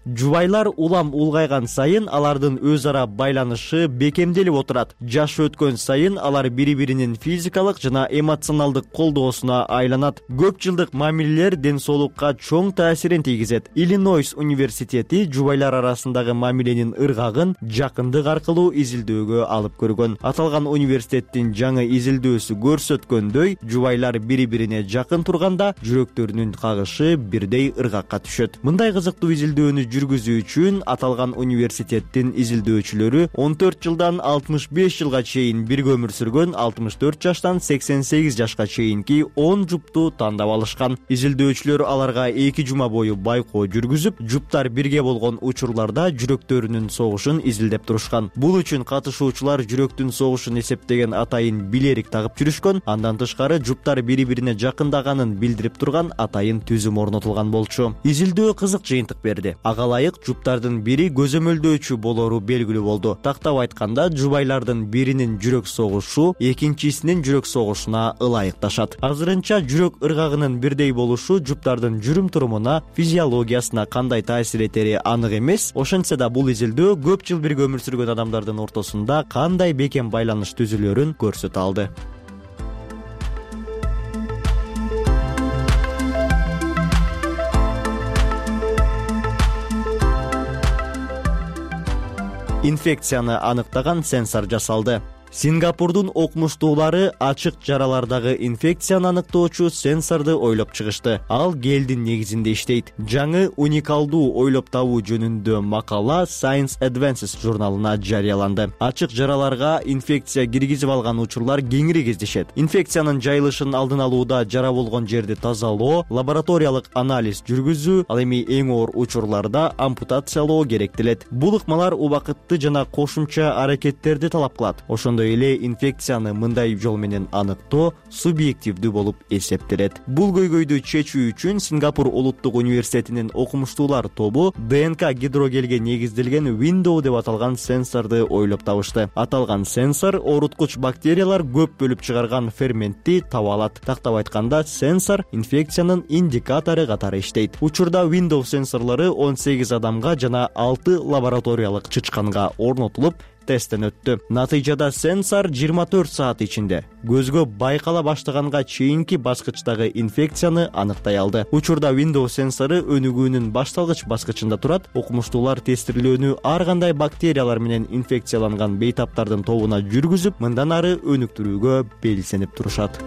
Жубайлар улам улгайган сайын алардын өз ара байланышы бекемделип отурат. Жаш өткөн сайын алар бири-биринин физикалык жана эмоционалдык колдоосуна айланат. Көп жылдык мамилелер ден соолукка чоң таасирин тийгизет. Иллинойс университети жубайлар арасындагы мамиленин ыргагын жакындык аркылуу изилдөөгө алып көргөн. Аталган университеттин жаңы изилдөөсү көрсөткөндөй, жубайлар бири-бирине жакын турганда жүрөктөрүнүн кагышы бирдей ыргакка түшөт. Мындай кызыктуу изилдөөнү жүргүзүү үчүн аталган университеттин изилдөөчүлөрү он төрт жылдан алтымыш беш жылга чейин бирге өмүр сүргөн алтымыш төрт жаштан сексен сегиз жашка чейинки он жупту тандап алышкан. Изилдөөчүлөр аларга эки жума бою байкоо жүргүзүп, жуптар бирге болгон учурларда жүрөктөрүнүн согушун изилдеп турушкан. Бул үчүн катышуучулар жүрөктүн согушун эсептеген атайын билерик тагып жүрүшкөн. Андан тышкары жуптар бири-бирине жакындаганын билдирип турган атайын түзүм орнотулган болчу. Изилдөө кызык жыйынтык берди. Ылайык жуптардын бири көзөмөлдөөчү болору белгилүү болду. Тактап айтканда, жубайлардын биринин жүрөк согушу экинчисинин жүрөк согушуна ылайыкташат. Азырынча жүрөк ыргагынын бирдей болушу жуптардын жүрүм турумуна, физиологиясына кандай таасир этери анык эмес. Ошентсе да бул изилдөө көп жыл бирге өмүр сүргөн адамдардын ортосунда кандай бекем байланыш түзүлөрүн көрсөтө алды. Инфекцияны аныктаган сенсор жасалды. Сингапурдун окумуштуулары ачык жаралардагы инфекцияны аныктоочу сенсорду ойлоп чыгышты. Ал гелдин негизинде иштейт. Жаңы уникалдуу ойлоп табуу жөнүндө макала Science Advances журналына жарыяланды. Ачык жараларга инфекция киргизип алган учурлар кеңири кездешет. Инфекциянын жайылышын алдын алууда жара болгон жерди тазалоо, лабораториялык анализ жүргүзүү, ал эми эң оор учурларда ампутациялоо керектелет. Бул ыкмалар убакытты жана кошумча аракеттерди талап кылат. Ошондой эле инфекцияны мындай жол менен аныктоо субъективдүү болуп эсептелет. Бул көйгөйдү чечүү үчүн Сингапур улуттук университетинин окумуштуулар тобу ДНК гидрогелге негизделген Window деп аталган сенсорду ойлоп табышты. Аталган сенсор ооруткуч бактериялар көп бөлүп чыгарган ферментти таба алат. Тактап айтканда, сенсор инфекциянын индикатору катары иштейт. Учурда Window сенсорлору он сегиз адамга жана алты лабораториялык чычканга орнотулуп тесттен өттү. Натыйжада сенсор жыйырма төрт саат ичинде көзгө байкала баштаганга чейинки баскычтагы инфекцияны аныктай алды. Учурда Windows сенсору өнүгүүнүн башталгыч баскычында турат. Окумуштуулар тестирлөөнү ар кандай бактериялар менен инфекцияланган бейтаптардын тобуна жүргүзүп, мындан ары өнүктүрүүгө белсенип турушат.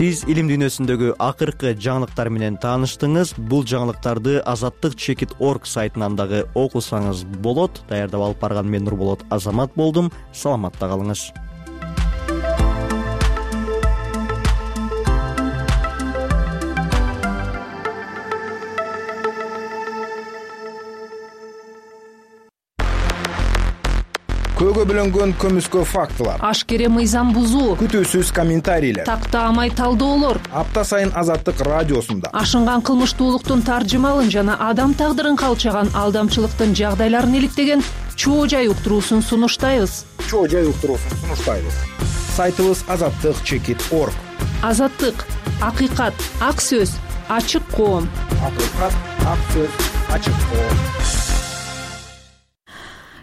Сиз илим дүйнөсүндөгү акыркы жаңылыктар менен тааныштыңыз. Бул жаңылыктарды азаттык чекит точка орг сайтынан дагы окусаңыз болот. Даярдап алып барган мен Нурболот Азамат болдум. Саламатта калыңыз. күбөлөргө бөлөнгөн көмүскө фактылар, ашкере мыйзам бузуу, күтүүсүз комментарийлер, тактаамай талдоолор апта сайын Азаттык радиосунда ашынган кылмыштуулуктун таржымалын жана адам тагдырын калчаган алдамчылыктын жагдайларын иликтеген чоо жай уктуруусун сунуштайбыз. чоо жай уктуруусун сунуштайбыз. Сайтыбыз азаттык чекит точка орг. Азаттык, акыйкат, ак сөз, ачык коом. Акыйкат, ак сөз, ачык коом.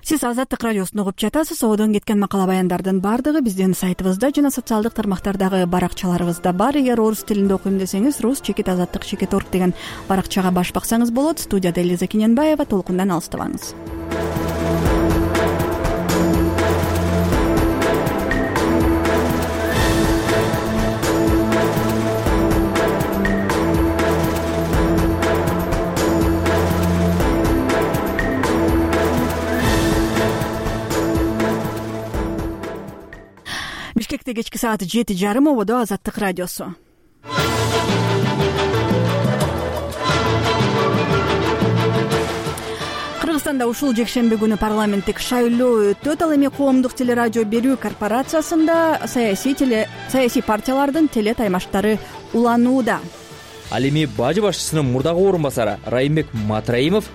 Сиз Азаттык радиосун угуп жатасыз. Одон кеткен макала баяндардын баардыгы биздин сайтыбызда жана социалдык тармактардагы баракчаларыбызда бар. Эгер орус тилинде окуйм десеңиз, рус чекит азаттык чекит точка орг деген баракчага баш баксаңыз болот. Студияда Элиза Кененбаева, толкундан алыстабаңыз. Бишкекте кечки саат жети жарым, ободо Азаттык радиосу. Кыргызстанда ушул жекшемби күнү парламенттик шайлоо өтөт. Ал эми коомдук телерадио берүү корпорациясында саясий теле саясий партиялардын теле таймаштары уланууда. Ал эми бажы башчысынын мурдагы орун басары Райымбек Матраимов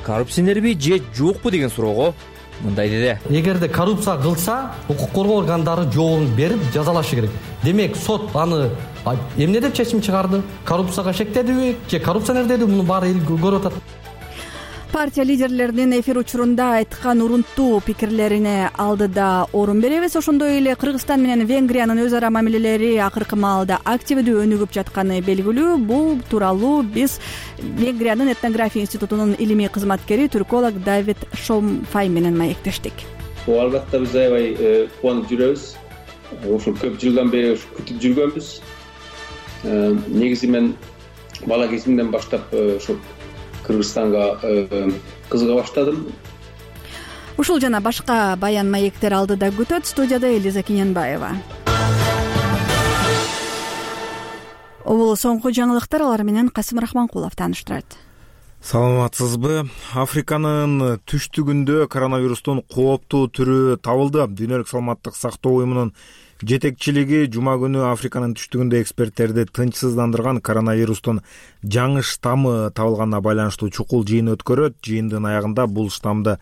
коррупционерби же жокпу деген суроого мындай деди. Эгерде коррупция кылса, укук коргоо органдары жообун берип жазалашы керек. Демек сот аны эмне деп чечим чыгарды? Коррупцияга шектедиби же коррупционер деди? Муну баары эл көрүп атат. Партия лидерлеринин эфир учурунда айткан урунтуу пикирлерине алдыда орун беребиз. Ошондой эле Кыргызстан менен Венгриянын өз ара мамилелери акыркы маалда активдүү өнүгүп жатканы белгилүү. Бул тууралуу биз Венгриянын этнография институтунун илимий кызматкери түрколог Давид Шомфай менен маектештик. Бул албетте биз аябай кубанып жүрөбүз. Ушул көп жылдан бери күтүп жүргөнбүз. Негизи мен бала кезимден баштап ошо Кыргызстанга кызыга баштадым. Ушул жана башка баян маектер алдыда күтөт. Студияда Элиза Кененбаева. Бул соңку жаңылыктар, алар менен Касым Рахманкулов тааныштырат. Саламатсызбы? Африканын түштүгүндө коронавирустун кооптуу түрү табылды. Дүйнөлүк саламаттык сактоо уюмунун жетекчилиги жума күнү Африканын түштүгүндө эксперттерди тынчсыздандырган коронавирустун жаңы штаммы табылганына байланыштуу чукул жыйын өткөрөт. Жыйындын аягында бул штаммды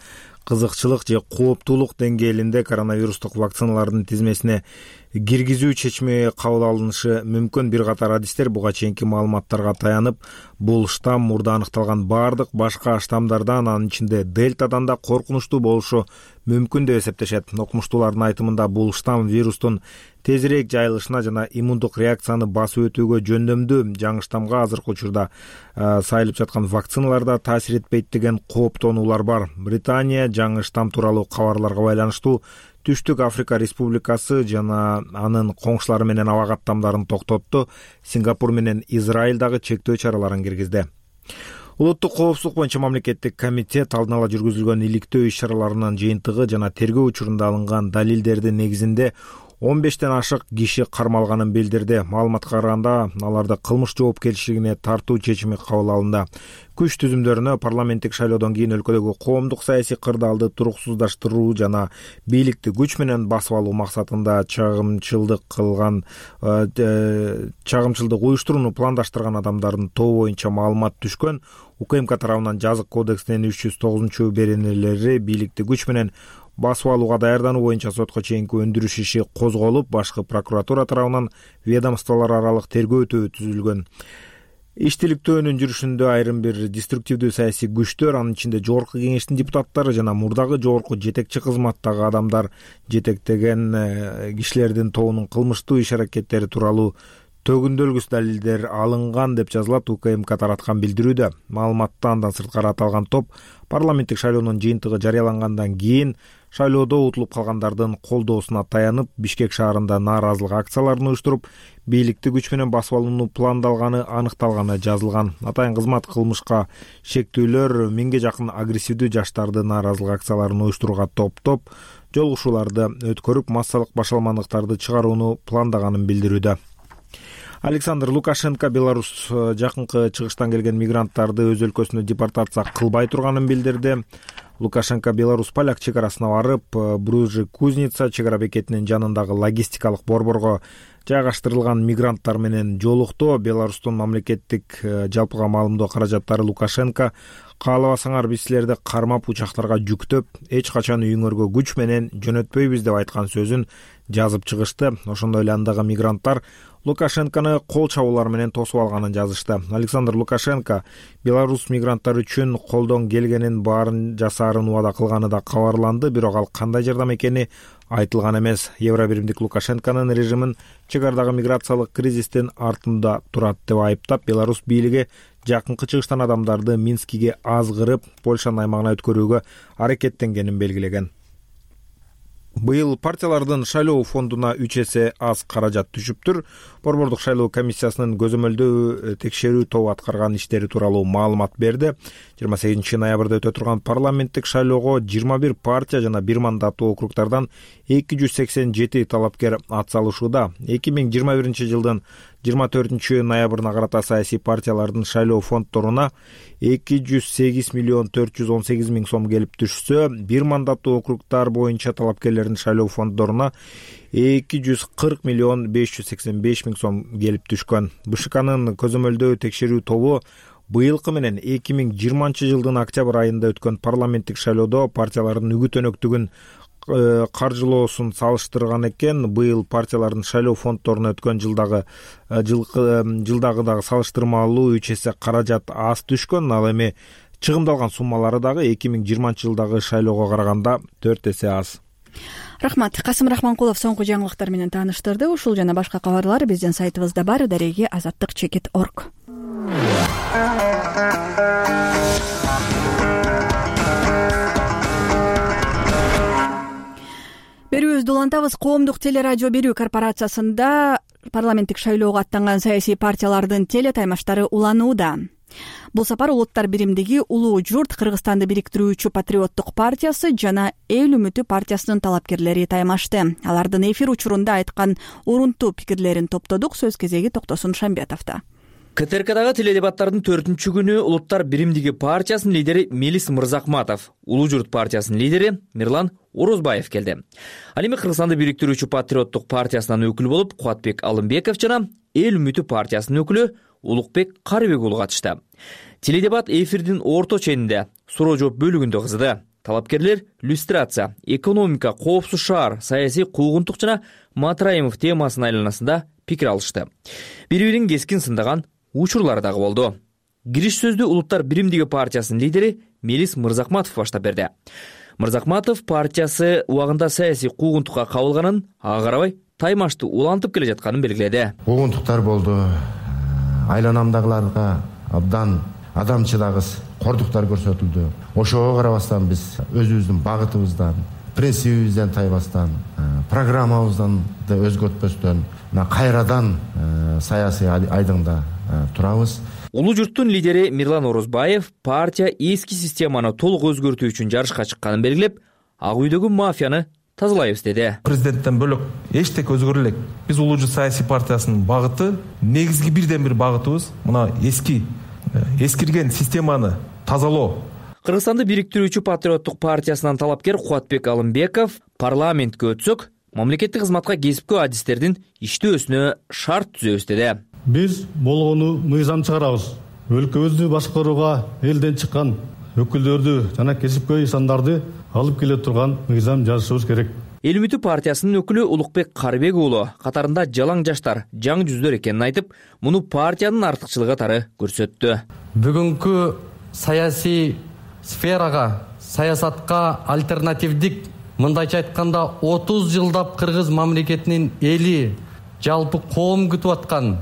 кызыкчылык же кооптуулук деңгээлинде коронавирустук вакциналардын тизмесине киргизүү чечими кабыл алынышы мүмкүн. Бир катар адистер буга чейинки маалыматтарга таянып, бул штамм мурда аныкталган баардык башка штаммдардан, анын ичинде дельтадан да коркунучтуу болушу мүмкүн деп эсептешет. Окумуштуулардын айтымында бул штамм вирустун тезирээк жайылышына жана иммундук реакцияны басып өтүүгө жөндөмдүү. Жаңы штаммга азыркы учурда сайылып жаткан вакциналарда таасир этпейт деген кооптонуулар бар. Британия жаңы штамм тууралуу кабарларга байланыштуу Түштүк Африка Республикасы жана анын коңшулары менен аба каттамдарын токтотту. Сингапур менен Израиль дагы чектөө чараларын киргизди. Улуттук коопсуздук боюнча мамлекеттик комитет алдын ала жүргүзүлгөн иликтөө иш-чараларынын жыйынтыгы жана тергөө учурунда алынган далилдердин негизинде он бештен ашык киши кармалганын билдирди. Маалыматка караганда, аларды кылмыш жоопкерчилигине тартуу чечими кабыл алынды. Күч түзүмдөрүнө парламенттик шайлоодон кийин өлкөдөгү коомдук саясий кырдаалды туруксуздаштыруу жана бийликти күч менен басып алуу максатында чагымчылдык кылган чагымчылдык уюштурууну пландаштырган адамдардын тобу боюнча маалымат түшкөн. УКМК тарабынан жазык кодексинин үч жүз тогузунчу беренелери бийликти күч менен басып алууга даярдануу боюнча сотко чейинки өндүрүш иши козголуп, башкы прокуратура тарабынан ведомстволор аралык тергөө түзүлгөн. Иштиликтөөнүн жүрүшүндө айрым бир деструктивдүү саясий күчтөр, анын ичинде жогорку кеңештин депутаттары жана мурдагы жогорку жетекчи кызматтагы адамдар жетектеген кишилердин тобунун кылмыштуу иш-аракеттери тууралуу төгүндөлгүс далилдер алынган деп жазылат УКМК тараткан билдирүүдө. Маалыматта андан сырткары аталган топ парламенттик шайлоонун жыйынтыгы жарыялангандан кийин шайлоодо утулуп калгандардын колдоосуна таянып, Бишкек шаарында нааразылык акцияларын уюштуруп, бийликти күч менен басып алууну пландалганы аныкталганы жазылган. Атайын кызмат кылмышка шектүүлөр миңге жакын агрессивдүү жаштарды нааразылык акцияларын уюштурууга топтоп, жолугушууларды өткөрүп, массалык башаламандыктарды чыгарууну пландаганын билдирүүдө. Александр Лукашенко Беларусь жакынкы чыгыштан келген мигранттарды өз өлкөсүнө депортация кылбай турганын билдирди. Лукашенко Беларусь поляк чек арасына барып, Бружи Кузница чек ара бекетинин жанындагы логистикалык борборго жайгаштырылган мигранттар менен жолукту. Беларустун мамлекеттик жалпыга маалымдоо каражаттары Лукашенко каалабасаңар биз силерди кармап учактарга жүктөп, эч качан үйүңөргө күч менен жөнөтпөйбүз деп айткан сөзүн жазып чыгышты. Ошондой эле андагы мигранттар Лукашенкону кол чабуулар менен тосуп алганын жазышты. Александр Лукашенко Беларусь мигранттар үчүн колдон келгенин баарын жасаарын убада кылганы да кабарланды, бирок ал кандай жардам экени айтылган эмес. Евробиримдик Лукашенконун режимин чек арадагы миграциялык кризистин артында турат деп айыптап, Беларусь бийлиги жакынкы чыгыштан адамдарды Минскиге азгырып, Польшанын аймагына өткөрүүгө аракеттенгенин белгилеген. Быйыл партиялардын шайлоо фондуна үч эсе аз каражат түшүптүр. Борбордук шайлоо комиссиясынын көзөмөлдөө текшерүү тобу аткарган иштери тууралуу маалымат берди. жыйырма сегизинчи ноябрда өтө турган парламенттик шайлоого жыйырма бир партия жана бир мандаттуу округдардан эки жүз сексен жети талапкер ат салышууда. эки миң жыйырма биринчи жылдын жыйырма төртүнчү ноябрына карата саясий партиялардын шайлоо фонддоруна эки жүз сегиз миллион төрт жүз он сегиз миң сом келип түшсө, бир мандаттуу округдар боюнча талапкерлердин шайлоо фонддоруна эки жүз кырк миллион беш жүз сексен беш миң сом келип түшкөн. БШКнын көзөмөлдөө текшерүү тобу быйылкы менен эки миң жыйырманчы жылдын октябрь айында өткөн парламенттик шайлоодо партиялардын үгүт өнөктүгүн каржылоосун салыштырган экен. Быйыл партиялардын шайлоо фонддоруна өткөн жылдагы жылдагыдагы салыштырмалуу үч эсе каражат аз түшкөн. Ал эми чыгымдалган суммалары дагы эки миң жыйырманчы жылдагы шайлоого караганда төрт эсе аз. Рахмат. Касым Рахманкулов соңку жаңылыктар менен тааныштырды. Ушул жана башка кабарлар биздин сайтыбызда бар. Дареги азаттык чекит орг. Берүүбүздү улантабыз. Коомдук телерадио берүү корпорациясында парламенттик шайлоого аттанган саясий партиялардын телетаймаштары уланууда. Бул сапар Улуттар биримдиги Улуу журт Кыргызстанды бириктирүүчү Патриоттук партиясы жана Эл үмүтү партиясынын талапкерлери таймашты. Алардын эфир учурунда айткан урунтуу пикирлерин топтодук. Сөз кезеги Токтосун Шамбетовдо. КТРКдагы теледебаттардын төртүнчү күнү Улуттар биримдиги партиясынын лидери Мелис Мырзакматов, Улуу журт партиясынын лидери Мирлан Орозбаев келди. Ал эми Кыргызстанды бириктирүүчү Патриоттук партиясынан өкүл болуп Кубатбек Алымбеков жана Эл үмүтү партиясынын өкүлү Улукбек Карыбек уулу катышты. Теледебат эфирдин орто ченинде суроо жооп бөлүгүндө кызды. Талапкерлер люстрация, экономика, коопсуз шаар, саясий куугунтук жана Матраимов темасынын айланасында пикир алышты. Бири-бирин кескин сындаган учурлар дагы болду. Кириш сөздү Улуттар биримдиги партиясынын лидери Мелис Мырзакматов баштап берди. Мырзакматов партиясы убагында саясий куугунтукка кабылганын, ага карабай таймашты улантып келе жатканын белгиледи. Куугунтуктар болду. Айланамдагыларга абдан адамчылагыс кордуктар көрсөтүлдү. Ошого карабастан биз өзүбүздүн багытыбыздан, принцибибизден тайбастан, программабыздан да өзгөртпөстөн кайрадан саясий айдыңда турабыз. Улуу журттун лидери Мирлан Орозбаев партия эски системаны толук өзгөртүү үчүн жарышка чыкканын белгилеп, ак үйдөгү мафияны тазалайбыз деди. Президенттен бөлөк эчтеке өзгөрө элек. Биз Улуу журт саясий партиясынын багыты, негизги бирден бир багытыбыз мына эски эскирген системаны тазалоо. Кыргызстанды бириктирүүчү Патриоттук партиясынан талапкер Кубатбек Алымбеков парламентке өтсөк, мамлекеттик кызматка кесипкөө адистердин иштөөсүнө шарт түзөбүз деди. Биз болгону мыйзам чыгарабыз. Өлкөбүздү башкарууга элден чыккан өкүлдөрдү жана кесипкөй сандарды алып келе турган мыйзам жазышыбыз керек. Эл үмүтү партиясынын өкүлү Улукбек Карыбек уулу катарында жалаң жаштар, жаңы жүздөр экенин айтып, муну партиянын артыкчылыгы катары көрсөттү. Бүгүнкү саясий сферага, саясатка альтернативдик, мындайча айтканда отуз жылдап кыргыз мамлекетинин эли, жалпы коом күтүп аткан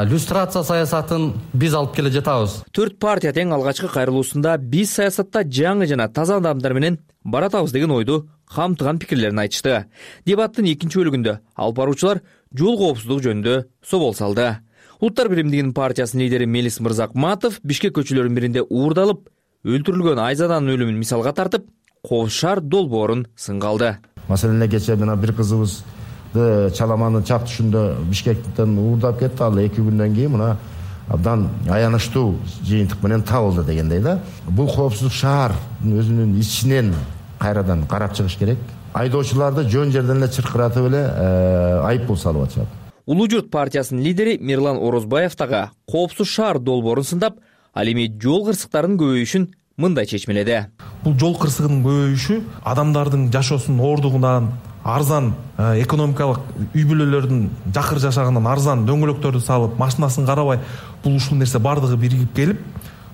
люстрация саясатын биз алып келе жатабыз. Төрт партия тең алгачкы кайрылуусунда биз саясатта жаңы жана таза адамдар менен баратабыз деген ойду камтыган пикирлерин айтышты. Дебаттын экинчи бөлүгүндө алып баруучулар жол коопсуздугу жөнүндө собол салды. Улуттар биримдигинин партиясынын лидери Мелис Мырзакматов Бишкек көчөлөрүнүн биринде уурдалып, өлтүрүлгөн Айзаданын өлүмүн мисалга тартып, коопсуз шаар долбоорун сынга алды. Маселен кечээ мына бир кызыбыз Чаламанын чак түшүндө Бишкектен уурдап кетти. Ал эки күндөн кийин мына абдан аянычтуу жыйынтык менен табылды дегендей да. Бул коопсуздук шаардын өзүнүн ичинен кайрадан карап чыгыш керек. Айдоочуларды жөн жерден эле чыркыратып эле айыппул салып атышат. Улуу журт партиясынын лидери Мирлан Орозбаев дагы коопсуз шаар долбоорун сындап, ал эми жол кырсыктарынын көбөйүшүн мындай чечмеледи. Бул жол кырсыгынын көбөйүшү адамдардын жашоосунун оордугунан, арзан экономикалык үй бүлөлөрдүн жакыр жашаганынан арзан дөңгөлөктөрдү салып, машинасын карабай, бул ушул нерсе бардыгы биригип келип,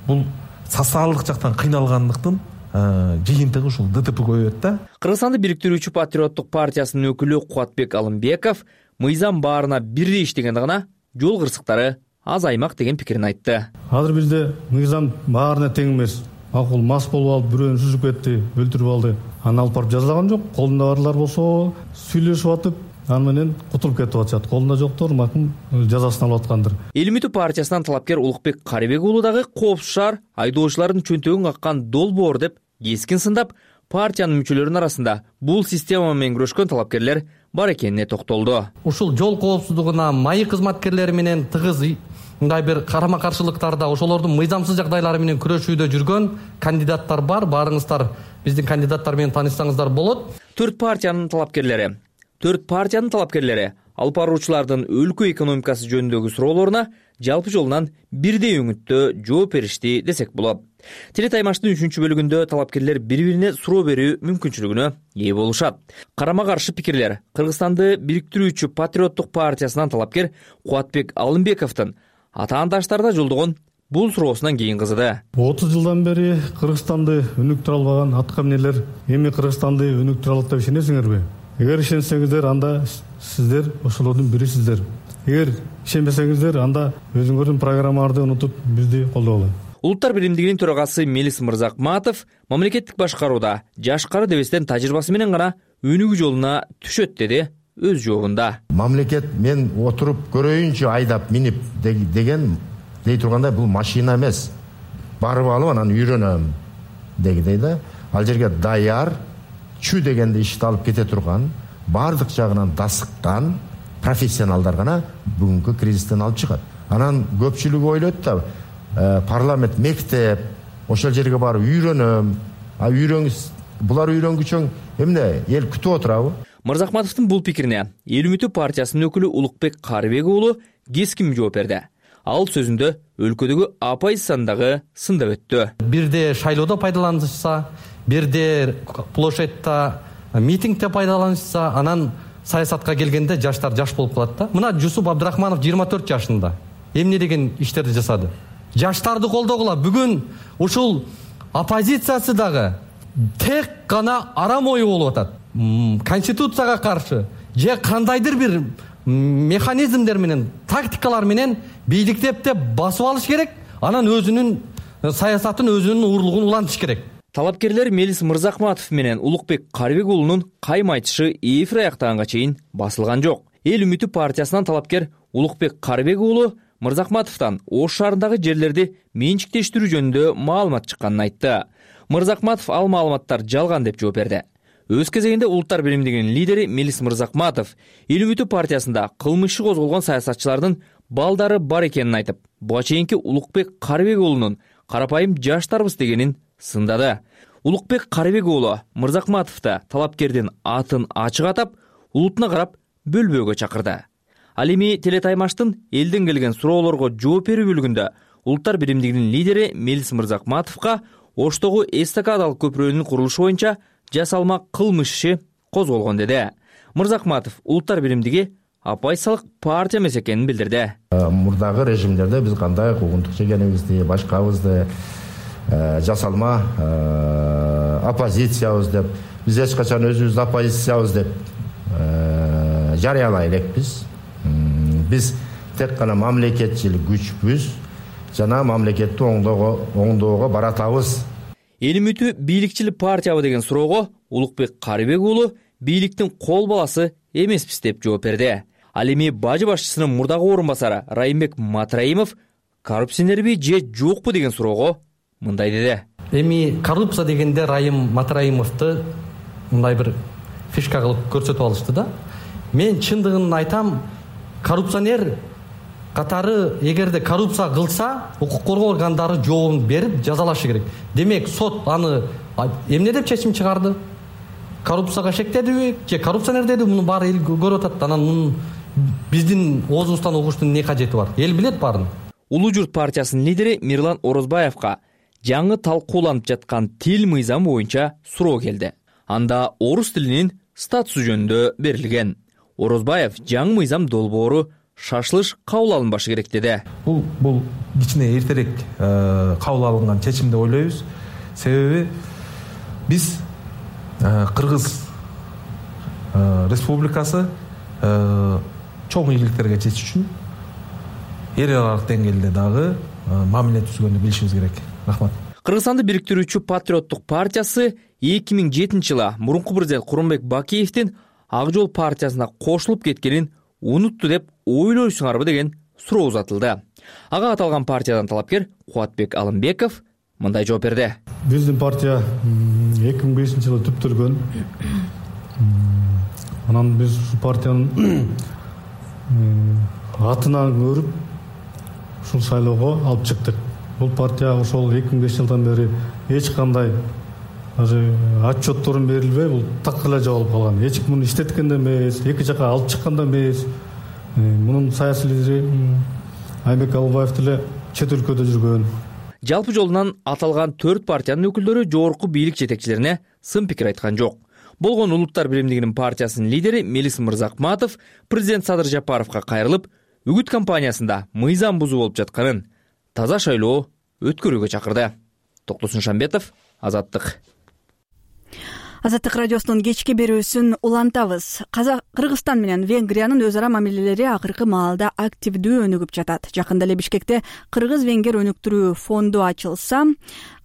бул социалдык жактан кыйналгандыктын жыйынтыгы ушул ДТП көбөйөт да. Кыргызстанды бириктирүүчү Патриоттук партиясынын өкүлү Кубатбек Алымбеков мыйзам баарына бирдей иштегенде гана жол кырсыктары азаймак деген пикирин айтты. Азыр бизде мыйзам баарына тең эмес. Акыл мас болуп алып бирөөнү сүзүп кетти, өлтүрүп алды. Аны алып барып жазалаган жок. Колунда барлар болсо сүйлөшүп атып, аны менен кутулуп кетип атышат. Колунда жоктор макул жазасын алып аткандыр. Эл үмүтү партиясынан талапкер Улукбек Карыбек уулу дагы коопсуз шаар айдоочулардын чөнтөгүн каккан долбоор деп кескин сындап, партиянын мүчөлөрүнүн арасында бул система менен күрөшкөн талапкерлер бар экенине токтолду. Ушул жол коопсуздугуна майы кызматкерлери менен тыгыз мындай бир карама каршылыктарда ошолордун мыйзамсыз жагдайлары менен күрөшүүдө жүргөн кандидаттар бар. Барыңыздар биздин кандидаттар менен таанышсаңыздар болот. Төрт партиянын талапкерлери, төрт партиянын талапкерлери алып баруучулардын өлкө экономикасы жөнүндөгү суроолоруна жалпы жолунан бирдей өңүттө жооп беришти десек болот. Теле таймаштын үчүнчү бөлүгүндө талапкерлер бири-бирине суроо берүү мүмкүнчүлүгүнө ээ болушат. Карама каршы пикирлер Кыргызстанды бириктирүүчү Патриоттук партиясынан талапкер Кубатбек Алымбековдун атаандаштарда жолдогон бул суроосунан кийин кызыды. отуз жылдан бери Кыргызстанды өнүктүрө албаган атка минелер эми Кыргызстанды өнүктүрө алат деп ишенесиңерби? Эгер ишенсеңиздер, анда сиздер ошолордун бирисиздер. Эгер ишенбесеңиздер, анда өзүңөрдүн программаңарды унутуп бизди колдогула. Улуттар биримдигинин төрагасы Мелис Мырзакматов мамлекеттик башкарууда жашкары дебестен тажрыйбасы менен гана өнүгүү жолуна түшөт деди өз жообунда. Мамлекет мен отуруп көрөйүнчү айдап минип деген дей тургандай бул машина эмес. Барып алып анан үйрөнөм дегидей да. Ал жерге даяр, чү дегенде ишти алып кете турган, бардык жагынан дасыккан профессионалдар гана бүгүнкү кризистен алып чыгат. Анан көпчүлүгү ойлойт да, парламент, мектеп, ошол жерге барып үйрөнөм. А үйрөнгүс, булар үйрөнгүчөң эмне эл күтүп отурабы? Мырзакматовдун бул пикирине Эл үмүтү партиясынын өкүлү Улукбек Карыбек уулу кескин жооп берди. Ал сөзүндө өлкөдөгү оппозициянын сындап өттү. Бирде шайлоодо пайдаланышса, бирде площадьта митингде пайдаланышса, анан саясатка келгенде жаштар жаш болуп калат да. Мына Жусуп Абдрахманов жыйырма төрт жашында эмне деген иштерди жасады? Жаштарды колдогула. Бүгүн ушул оппозициясы дагы тек гана арам ою болуп атат. Конституцияга каршы же кандайдыр бир механизмдер менен, тактикалар менен бийликтеп басып алыш керек. Анан өзүнүн саясатын, өзүнүн уурлугун улантыш керек. Талапкерлер Мелис Мырзакматов менен Улукбек Карыбек уулунун кайым айтышы эфир аяктаганга чейин басылган жок. Эл үмүтү партиясынан талапкер Улукбек Карыбек уулу Мырзакматовдон Ош шаарындагы жерлерди менчиктештирүү жөнүндө маалымат чыкканын айтты. Мырзакматов ал маалыматтар жалган деп жооп берди. Өз кезегинде Улуттар биримдигинин лидери Мелис Мырзакматов Эл үмүтү партиясында кылмыш иши козголгон саясатчылардын балдары бар экенин айтып, буга чейинки Улукбек Карыбек уулунун карапайым жаштарбыз дегенин сындады. Улукбек Карыбек уулу Мырзакматовду талапкердин атын ачык атап, улутуна карап бөлбөөгө чакырды. Ал эми Теле таймаштын элден келген суроолорго жооп берүү бөлүгүндө Улуттар биримдигинин лидери Мелис Мырзакматовго Оштогу эстакадалык көпүрөнүн курулушу боюнча жасалма кылмыш иши козголгон деди. Мырзакматов Улуттар биримдиги оппозициялык партия эмес экенин билдирди. Мурдагы режимдерде биз кандай куугунтук чегенибизди, башкабызды жасалма оппозициябыз деп, биз эч качан өзүбүздү оппозициябыз деп жарыялай элекпиз. Биз тек гана мамлекетчил күчпүз жана мамлекетти оңдоого баратабыз. Эл үмүтү бийликчил партиябы деген суроого Улукбек Карыбек уулу бийликтин кол баласы эмеспиз деп жооп берди. Ал эми бажы башчысынын мурдагы орун басары Райымбек Матраимов коррупционерби же жокпу деген суроого мындай деди. Эми коррупция дегенде Райым Матраимовду мындай бир фишка кылып көрсөтүп алышты да. Мен чындыгын айтам, коррупционер катары эгерде коррупция кылса укук коргоо органдары жообун берип жазалашы керек. Демек сот аны эмне деп чечим чыгарды? Коррупцияга шектедиби же коррупционер муну баары эл көрүп атат. Анан мунун биздин оозубуздан угуштун эмне кажети бар? Эл билет баарын. Улуу журт партиясынын лидери Мирлан Орозбаевга жаңы талкууланып жаткан тил мыйзамы боюнча суроо келди. Анда орус тилинин статусу жөнүндө берилген. Орозбаев жаңы мыйзам долбоору шашылыш кабыл алынбашы керек деди. Бул бул кичине эртерээк кабыл алынган чечим деп ойлойбуз. Себеби биз Кыргыз Республикасы чоң ийгиликтерге жетиш үчүн эл аралык деңгээлде дагы мамиле түзгөндү билишибиз керек. Рахмат. Кыргызстанды бириктирүүчү Патриоттук партиясы эки миң жетинчи жылы мурунку президент Курманбек Бакиевдин Ак жол партиясына кошулуп кеткенин унутту деп ойлойсуңарбы деген суроо узатылды. Ага аталган партиядан талапкер Кубатбек Алымбеков мындай жооп берди. Биздин партия эки миң бешинчи жылы түптөлгөн. Анан биз партиянын атынан көрүп ушул шайлоого алып чыктык. Бул партия ошол эки миң бешинчи жылдан бери эч кандай даже отчетторун берилбей, бул так эле жабылып калган. Эч ким муну иштеткен да эмес, эки жака алып чыккан да эмес. Мунун саясий лидери Айбек Албаев деле чет өлкөдө жүргөн. Жалпы жолунан аталган төрт партиянын өкүлдөрү жогорку бийлик жетекчилерине сын пикир айткан жок. Болгон Улуттар биримдигинин партиясынын лидери Мелис Мырзакматов президент Садыр Жапаровго кайрылып, үгүт кампаниясында мыйзам бузуу болуп жатканын, таза шайлоо өткөрүүгө чакырды. Токтосун Шамбетов, Азаттык. Азаттык радиосунун кечки берүүсүн улантабыз. Кыргызстан менен Венгриянын өз ара мамилелери акыркы маалда активдүү өнүгүп жатат. Жакында эле Бишкекте Кыргыз-Венгер өнүктүрүү фонду ачылса,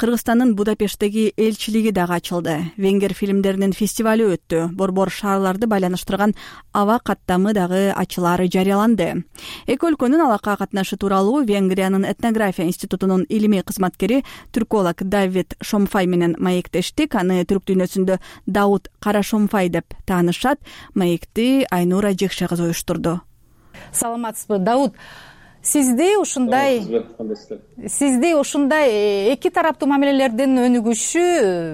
Кыргызстандын Будапешттеги элчилиги дагы ачылды. Венгер фильмдеринин фестивали өттү. Борбор шаарларды байланыштырган аба каттамы дагы ачылары жарыяланды. Эки өлкөнүн алака катнашы тууралуу Венгриянын этнография институтунун илимий кызматкери түрколог Давид Шомфай менен маектештик. Аны түрк дүйнөсүндө Дауд Карашомфай деп таанышат. Маекти Айнура Жекше кызы уюштурду. Саламатсызбы, Дауд? Сизди ушундай сизди ушундай эки тараптуу мамилелердин өнүгүшү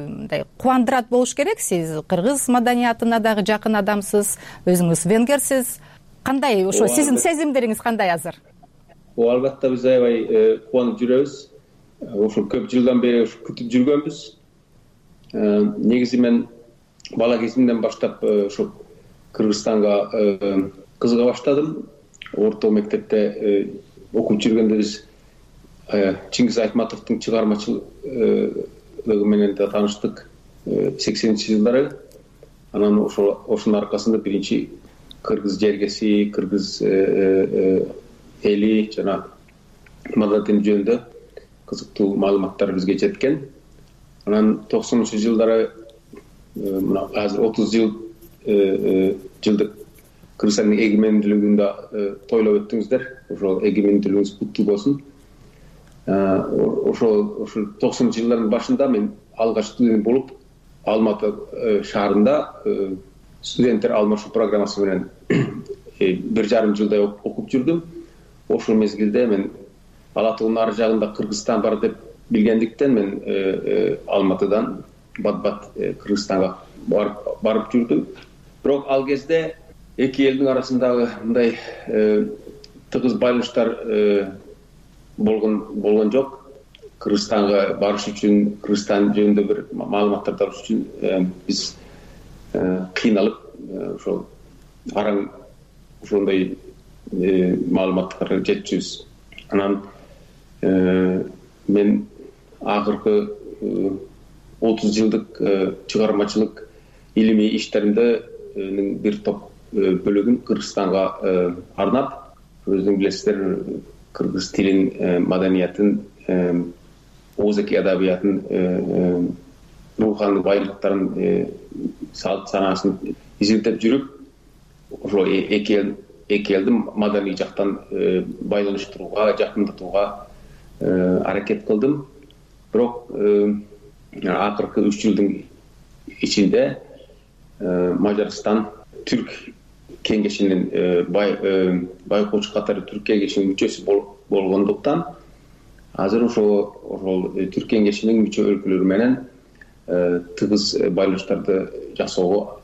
мындай кубандырат болуш керек. Сиз кыргыз маданиятына дагы жакын адамсыз, өзүңүз венгерсиз. Кандай ошо сиздин сезимдериңиз кандай азыр? О, албетте биз аябай кубанып жүрөбүз. Ошо көп жылдан бери күтүп жүргөнбүз. Негизи мен бала кезимден баштап ошо Кыргызстанга кызыга баштадым. Орто мектепте окуп жүргөндө биз Чингиз Айтматовдун чыгармачылыгы менен да тааныштык сексенинчи жылдары. Анан ошол ошонун аркасында биринчи кыргыз жергеси, кыргыз эли жана маданияты жөнүндө кызыктуу маалыматтар бизге жеткен. Анан токсонунчу жылдары мына азыр отуз жыл жылдык Кыргызстандын эгемендүүлүгүндө тойлоп өттүңүздөр. Ошол эгемендүүлүгүңүз куттуу болсун. Ошол ошол токсонунчу жылдардын башында мен алгач студент болуп Алматы шаарында студенттер алмашуу программасы менен бир жарым жылдай окуп жүрдүм. Ошол мезгилде мен Ала тоонун ары жагында Кыргызстан бар деп билгендиктен мен Алматыдан бат-бат Кыргызстанга барып жүрдүм. Бирок ал кезде эки элдин арасындагы мындай тыгыз байланыштар болгон болгон жок. Кыргызстанга барыш үчүн, Кыргызстан жөнүндө бир маалыматтарды алыш үчүн биз кыйналып ошол араң ошондой маалыматтарга жетчүбүз. Анан мен акыркы отуз жылдык чыгармачылык илимий иштеримдин бир топ бөлүгүн Кыргызстанга арнап, өзүңүз билесиздер, кыргыз тилин, маданиятын, ооз-эки адабиятын, руханий байлыктарын, салт санаасын изилдеп жүрүп, ошо эки эл эки элди маданий жактан байланыштырууга, жакындатууга аракет кылдым. Бирок акыркы үч жылдын ичинде Мажарстан түрк кеңешинин байкоочу катары түрк кеңешинин мүчөсү болгондуктан азыр ошо ошол түрк кеңешинин мүчө өлкөлөрү менен тыгыз байланыштарды жасоого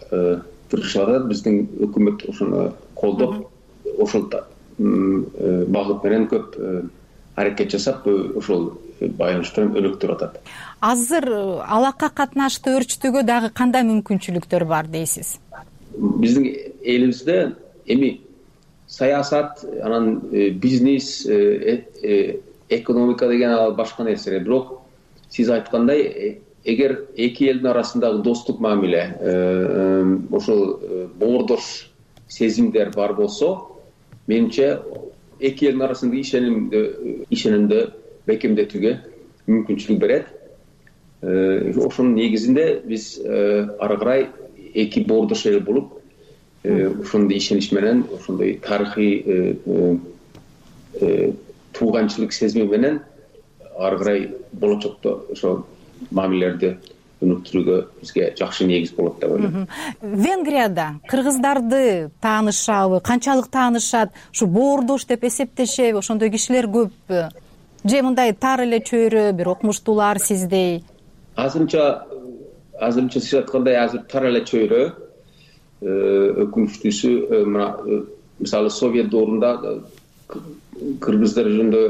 тырышып атат. Биздин өкмөт ошону колдоп, ошол багыт менен көп аракет жасап, ошол байланыштарын өнүктүрүп атат. Азыр алакка катнаштуу өрчүтүүгө дагы кандай мүмкүнчүлүктөр бар дейсиз? Биздин элибизде эми саясат, анан бизнес, экономика деген ал башка нерсе. Бирок сиз айткандай, эгер эки элдин арасындагы достук мамиле, ошол боордош сезимдер бар болсо, менимче эки элдин арасындагы ишенимди ишенимди бекемдетүүгө мүмкүнчүлүк берет. Ошонун негизинде биз ары карай эки боордош эл болуп, ошондой ишенич менен, ошондой тарыхый тууганчылык сезими менен ары карай болочокто ошо мамилелерди өнүктүрүүгө бизге жакшы негиз болот деп ойлойм. Венгрияда кыргыздарды таанышабы, канчалык таанышат, ушу боордош деп эсептешеби, ошондой кишилер көппү? Же мындай тар эле чөйрө, бир окумуштуулар сиздей? Азырынча азырынча сиз айткандай, азыр тар эле чөйрө, өкүнүчтүүсү, мына мисалы Совет доорунда кыргыздар жөнүндө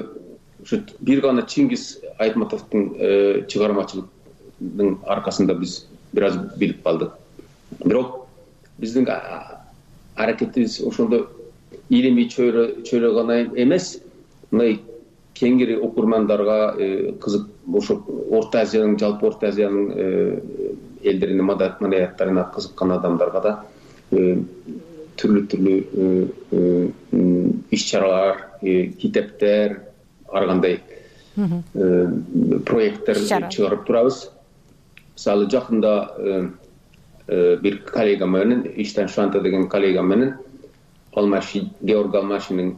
бир гана Чингиз Айтматовдун чыгармачылыгынын аркасында биз бир аз билип калдык. Бирок биздин аракетибиз ошондо илимий чөйрө чөйрө гана эмес, мындай кеңири окурмандарга кызык, ошо Орто Азиянын, жалпы Орто Азиянын элдеринин маданияттарына кызыккан адамдарга да түрлүү-түрлүү иш-чаралар, китептер, ар кандай проекттер чыгарып турабыз. Мисалы жакында бир коллега менен, Иштан Шанта деген коллега менен Алмаши, Георг Алмашинин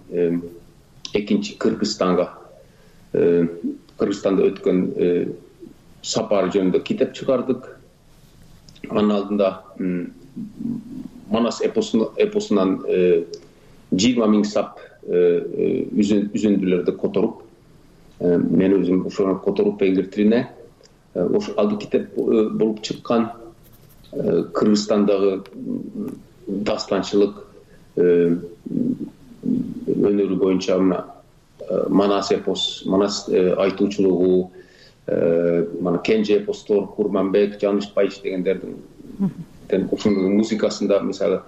экинчи Кыргызстанга, Кыргызстанда өткөн сапары жөнүндө китеп чыгардык. Анын алдында Манас эпосунан жыйырма миң сап үзүндүлөрдү которуп, мен өзүм ошону которуп эңгир тилине, ошо алды китеп болуп чыккан. Кыргызстандагы дастанчылык өнөрү боюнча мына Манас эпос, Манас айтуучулугу, мана Кенже эпостор, Курманбек, Жанышбаевич дегендердин ушунун музыкасында мисалы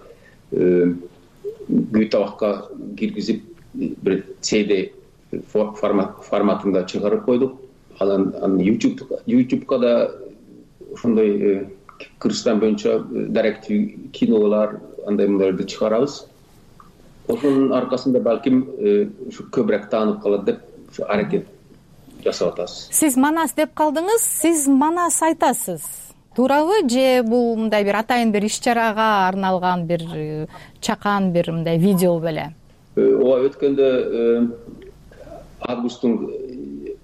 күй табакка киргизип бир си ди форматында чыгарып койдук. Анан ютубка да ошондой Кыргызстан боюнча даректүү кинолор, андай мындайларды чыгарабыз. Ошонун аркасында балким ушу көбүрөөк таанып калат деп ушу аракет жасап атабыз. Сиз Манас деп калдыңыз, сиз Манас айтасыз, туурабы? Же бул мындай бир атайын бир иш-чарага арналган бир чакан бир мындай видео беле? Ооба, өткөндө августтун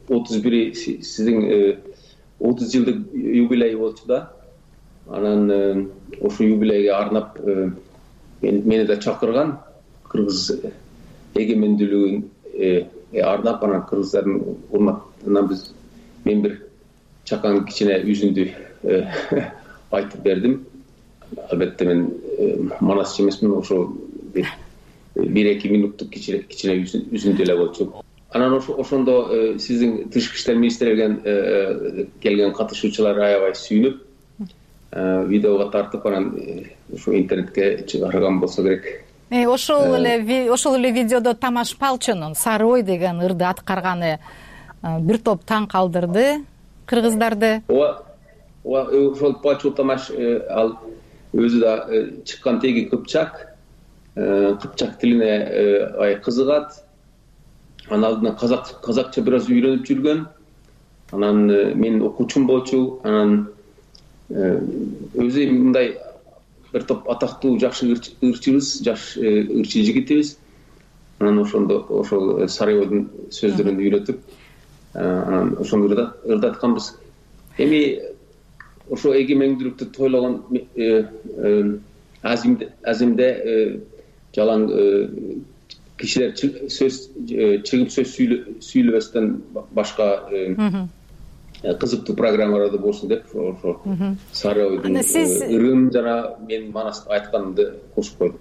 отуз бири сиздин отуз жылдык юбилей болчу да. Анан ошо юбилейге арнап мени да чакырган, кыргыз эгемендүүлүгүн арнап, анан кыргыздардын урматына биз мен бир чакан кичине үзүндү айтып бердим. Албетте мен Манасчы эмесмин, ошо бир эки минуттук кичине үзүндү эле болчу. Анан ошондо сиздин тышкы иштер министрлигинен келген катышуучулар аябай сүйүнүп, видеого тартып, анан ушу интернетке чыгарган болсо керек. Ошол эле ошол эле видеодо Тамаш Палчонун Сары Ой деген ырды аткарганы бир топ таң калтырды кыргыздарды. Ооба, ооба, ошол Палчо Тамаш ал өзү да чыккан теги кыпчак, кыпчак тилине ай кызыгат. Анын алдынан казак казакча бир аз үйрөнүп жүргөн. Анан менин окуучум болчу. Анан өзү мындай бир топ атактуу жакшы ырчыбыз, жаш ырчы жигитибиз. Анан ошондо ошол Сары Ойдун сөздөрүн үйрөтүп, анан ошону ырдатканбыз. Эми ошо эгемендүүлүктү тойлогон азимде жалаң кишилер сөз чыгып сөз сүйлөбөстөн башка кызыктуу программаларды болсун деп ошо Сары Ойдун ырын жана менин манас айтканымды кошуп койдум.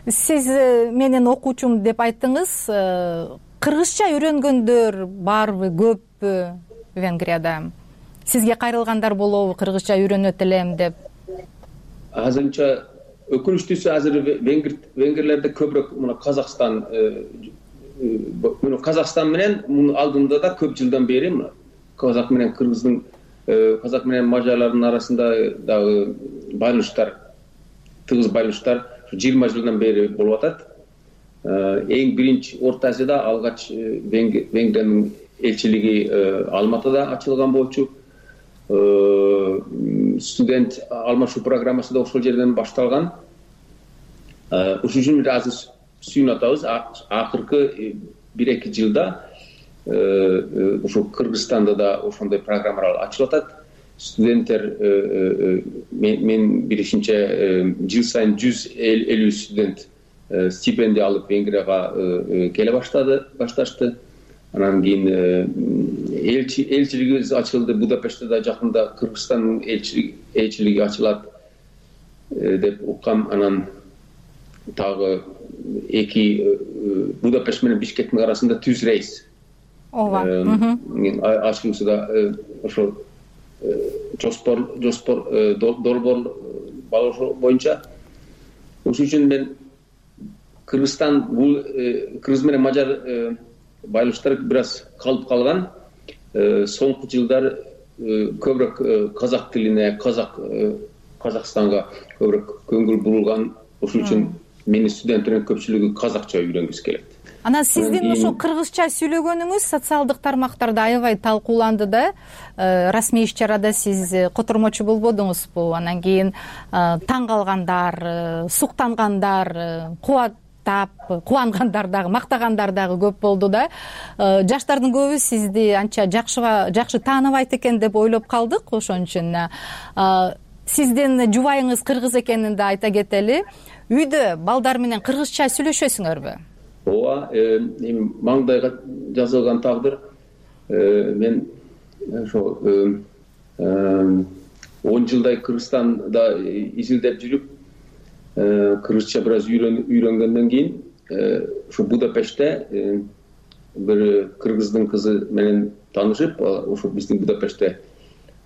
Сиз менин окуучум деп айттыңыз. Кыргызча үйрөнгөндөр барбы, көппү Венгрияда? Сизге кайрылгандар болобу, кыргызча үйрөнөт элем деп? Азырынча өкүнүчтүүсү азыр венгерлерде көбүрөөк мына Казакстан мына Казакстан менен мунун алдында да көп жылдан бери казак менен кыргыздын, казак менен мажарлардын арасында дагы байланыштар, тыгыз байланыштар жыйырма жылдан бери болуп атат. Эң биринчи Орто Азияда алгач Венгриянын элчилиги Алматыда ачылган болчу. Студент алмашуу программасы да ошол жерден башталган. Ошол үчүн азыр сүйүнүп атабыз. Акыркы бир эки жылда ошо Кыргызстанда да ошондой программалар ачылып атат. Студенттер мен билишимче жыл сайын жүз элүү студент стипендия алып Венгрияга келе баштады, башташты. Анан кийин элчилигибиз ачылды Будапештте да, жакында Кыргызстандын элчилиги ачылат деп уккам. Анан дагы эки Будапешт менен Бишкектин арасында түз рейс. Ооба. Ачылуусуда ошо жоспор жоспор долбоор болушу боюнча. Ошол үчүн мен Кыргызстан бул кыргыз менен мажар байланыштар бир аз калып калган. Соңку жылдар көбүрөөк казак тилине, казак Казакстанга көбүрөөк көңүл бурулган. Ошол үчүн менин студенттердин көпчүлүгү казакча үйрөнгүсү келет. Анан сиздин ошо кыргызча сүйлөгөнүңүз социалдык тармактарда аябай талкууланды да. Расмий иш-чарада сиз котормочу болбодуңузбу? Анан кийин таң калгандар, суктангандар, кубаттап, кубангандар дагы, мактагандар дагы көп болду да. Жаштардын көбү сизди анча жакшы тааныбайт экен деп ойлоп калдык. Ошон үчүн сиздин жубайыңыз кыргыз экенин да айта кетели. Үйдө балдар менен кыргызча сүйлөшөсүңөрбү? Ооба, эми маңдайга жазылган тагдыр. Мен ошо он жылдай Кыргызстанда изилдеп жүрүп, кыргызча бир аз үйрөнгөндөн кийин ошо Будапештте бир кыргыздын кызы менен таанышып, ошо биздин Будапештте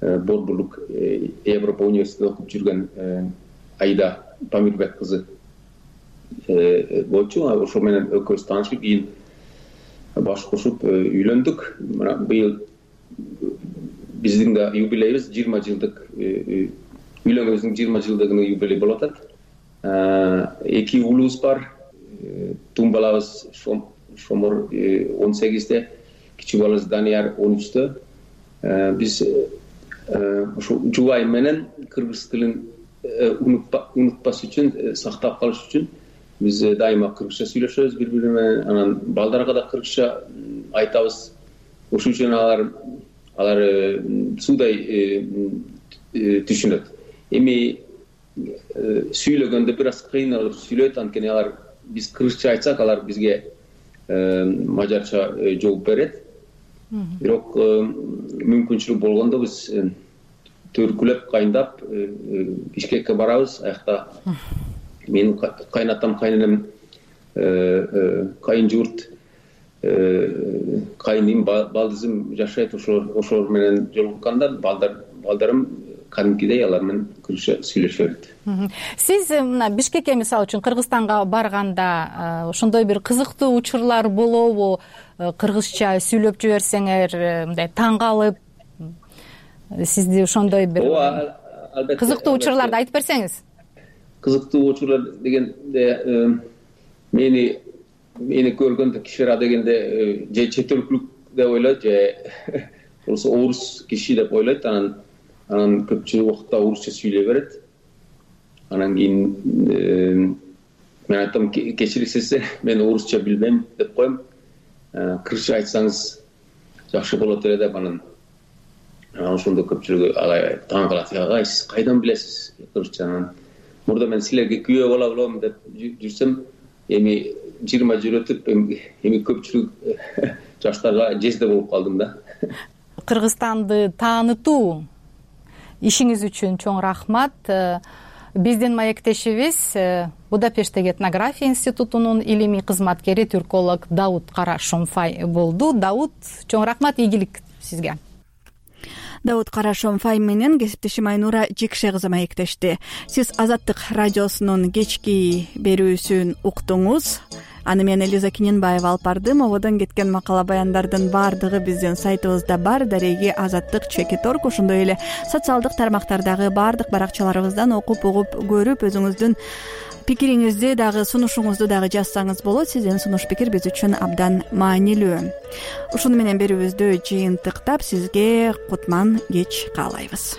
борборлук Европа университетинде окуп жүргөн Айда Памирбек кызы болчу. Ошо менен экөөбүз таанышып, кийин баш кошуп үйлөндүк. Мына быйыл биздин да юбилейибиз жыйырма жылдык, үйлөнгөнүбүздүн жыйырма жылдыгынын юбилейи болуп атат. Эки уулубуз бар. Тун балабыз Шомор он сегизде, кичүү балабыз Данияр он үчтө. Биз ошо жубайым менен кыргыз тилин унутпас үчүн, сактап калыш үчүн биз дайыма кыргызча сүйлөшөбүз бири бири менен. Анан балдарга да кыргызча айтабыз. Ошол үчүн алар алар суудай түшүнөт. Эми сүйлөгөндө бир аз кыйналып сүйлөйт, анткени алар биз кыргызча айтсак, алар бизге мажарча жооп берет. Бирок мүмкүнчүлүк болгондо биз төркүлөп, кайындап Бишкекке барабыз. Аякта менин кайнатам, кайненем, кайын журт, кайыным, балдызым жашайт. Ошолор менен жолукканда балдарым кадимкидей алар менен кыргызча сүйлөшө берет. Сиз мына Бишкекке мисалы үчүн Кыргызстанга барганда ошондой бир кызыктуу учурлар болобу? Кыргызча сүйлөп жиберсеңер, мындай таң калып, сизди ошондой бир кызыктуу учурларды айтып берсеңиз. Кызыктуу учурлар дегенде мени мени көргөндө кишилер дегенде же чет өлкөлүк деп ойлойт, же болбосо орус киши деп ойлойт. Анан анан көпчүлүк убакта орусча сүйлөй берет. Анан кийин мен айтам, кечирисиз, мен орусча билбейм деп коем. Кыргызча айтсаңыз жакшы болот эле деп. Анан ошондо көпчүлүгү алай таң калат. Агай, сиз кайдан билесиз кыргызчаны? Мурда мен силерге күйөө боло алам деп жүрсөм, эми жыйырма жыл өтүп эми көпчүлүк жаштарга жезде болуп калдым да. Кыргызстанды таанытуу ишиңиз үчүн чоң рахмат. Биздин маектешибиз Будапешттеги этнография институтунун илимий кызматкери түрколог Дауд Кара Шомфай болду. Дауд, чоң рахмат, ийгилик сизге. Дауд Кара Шомфай менен кесиптешим Айнура Жекше кызы маектешти. Сиз Азаттык радиосунун кечки берүүсүн уктуңуз. Аны мен Элиза Киненбаева алып бардым. Ободон кеткен макала баяндардын баардыгы биздин сайтыбызда бар. Дареги Азаттык чекит орг, ошондой эле социалдык тармактардагы баардык баракчаларыбыздан окуп угуп көрүп өзүңүздүн пикириңизди дагы сунушуңузду дагы жазсаңыз болот. Сиздин сунуш пикир биз үчүн абдан маанилүү. Ушуну менен берүүбүздү жыйынтыктап сизге кутман кеч каалайбыз.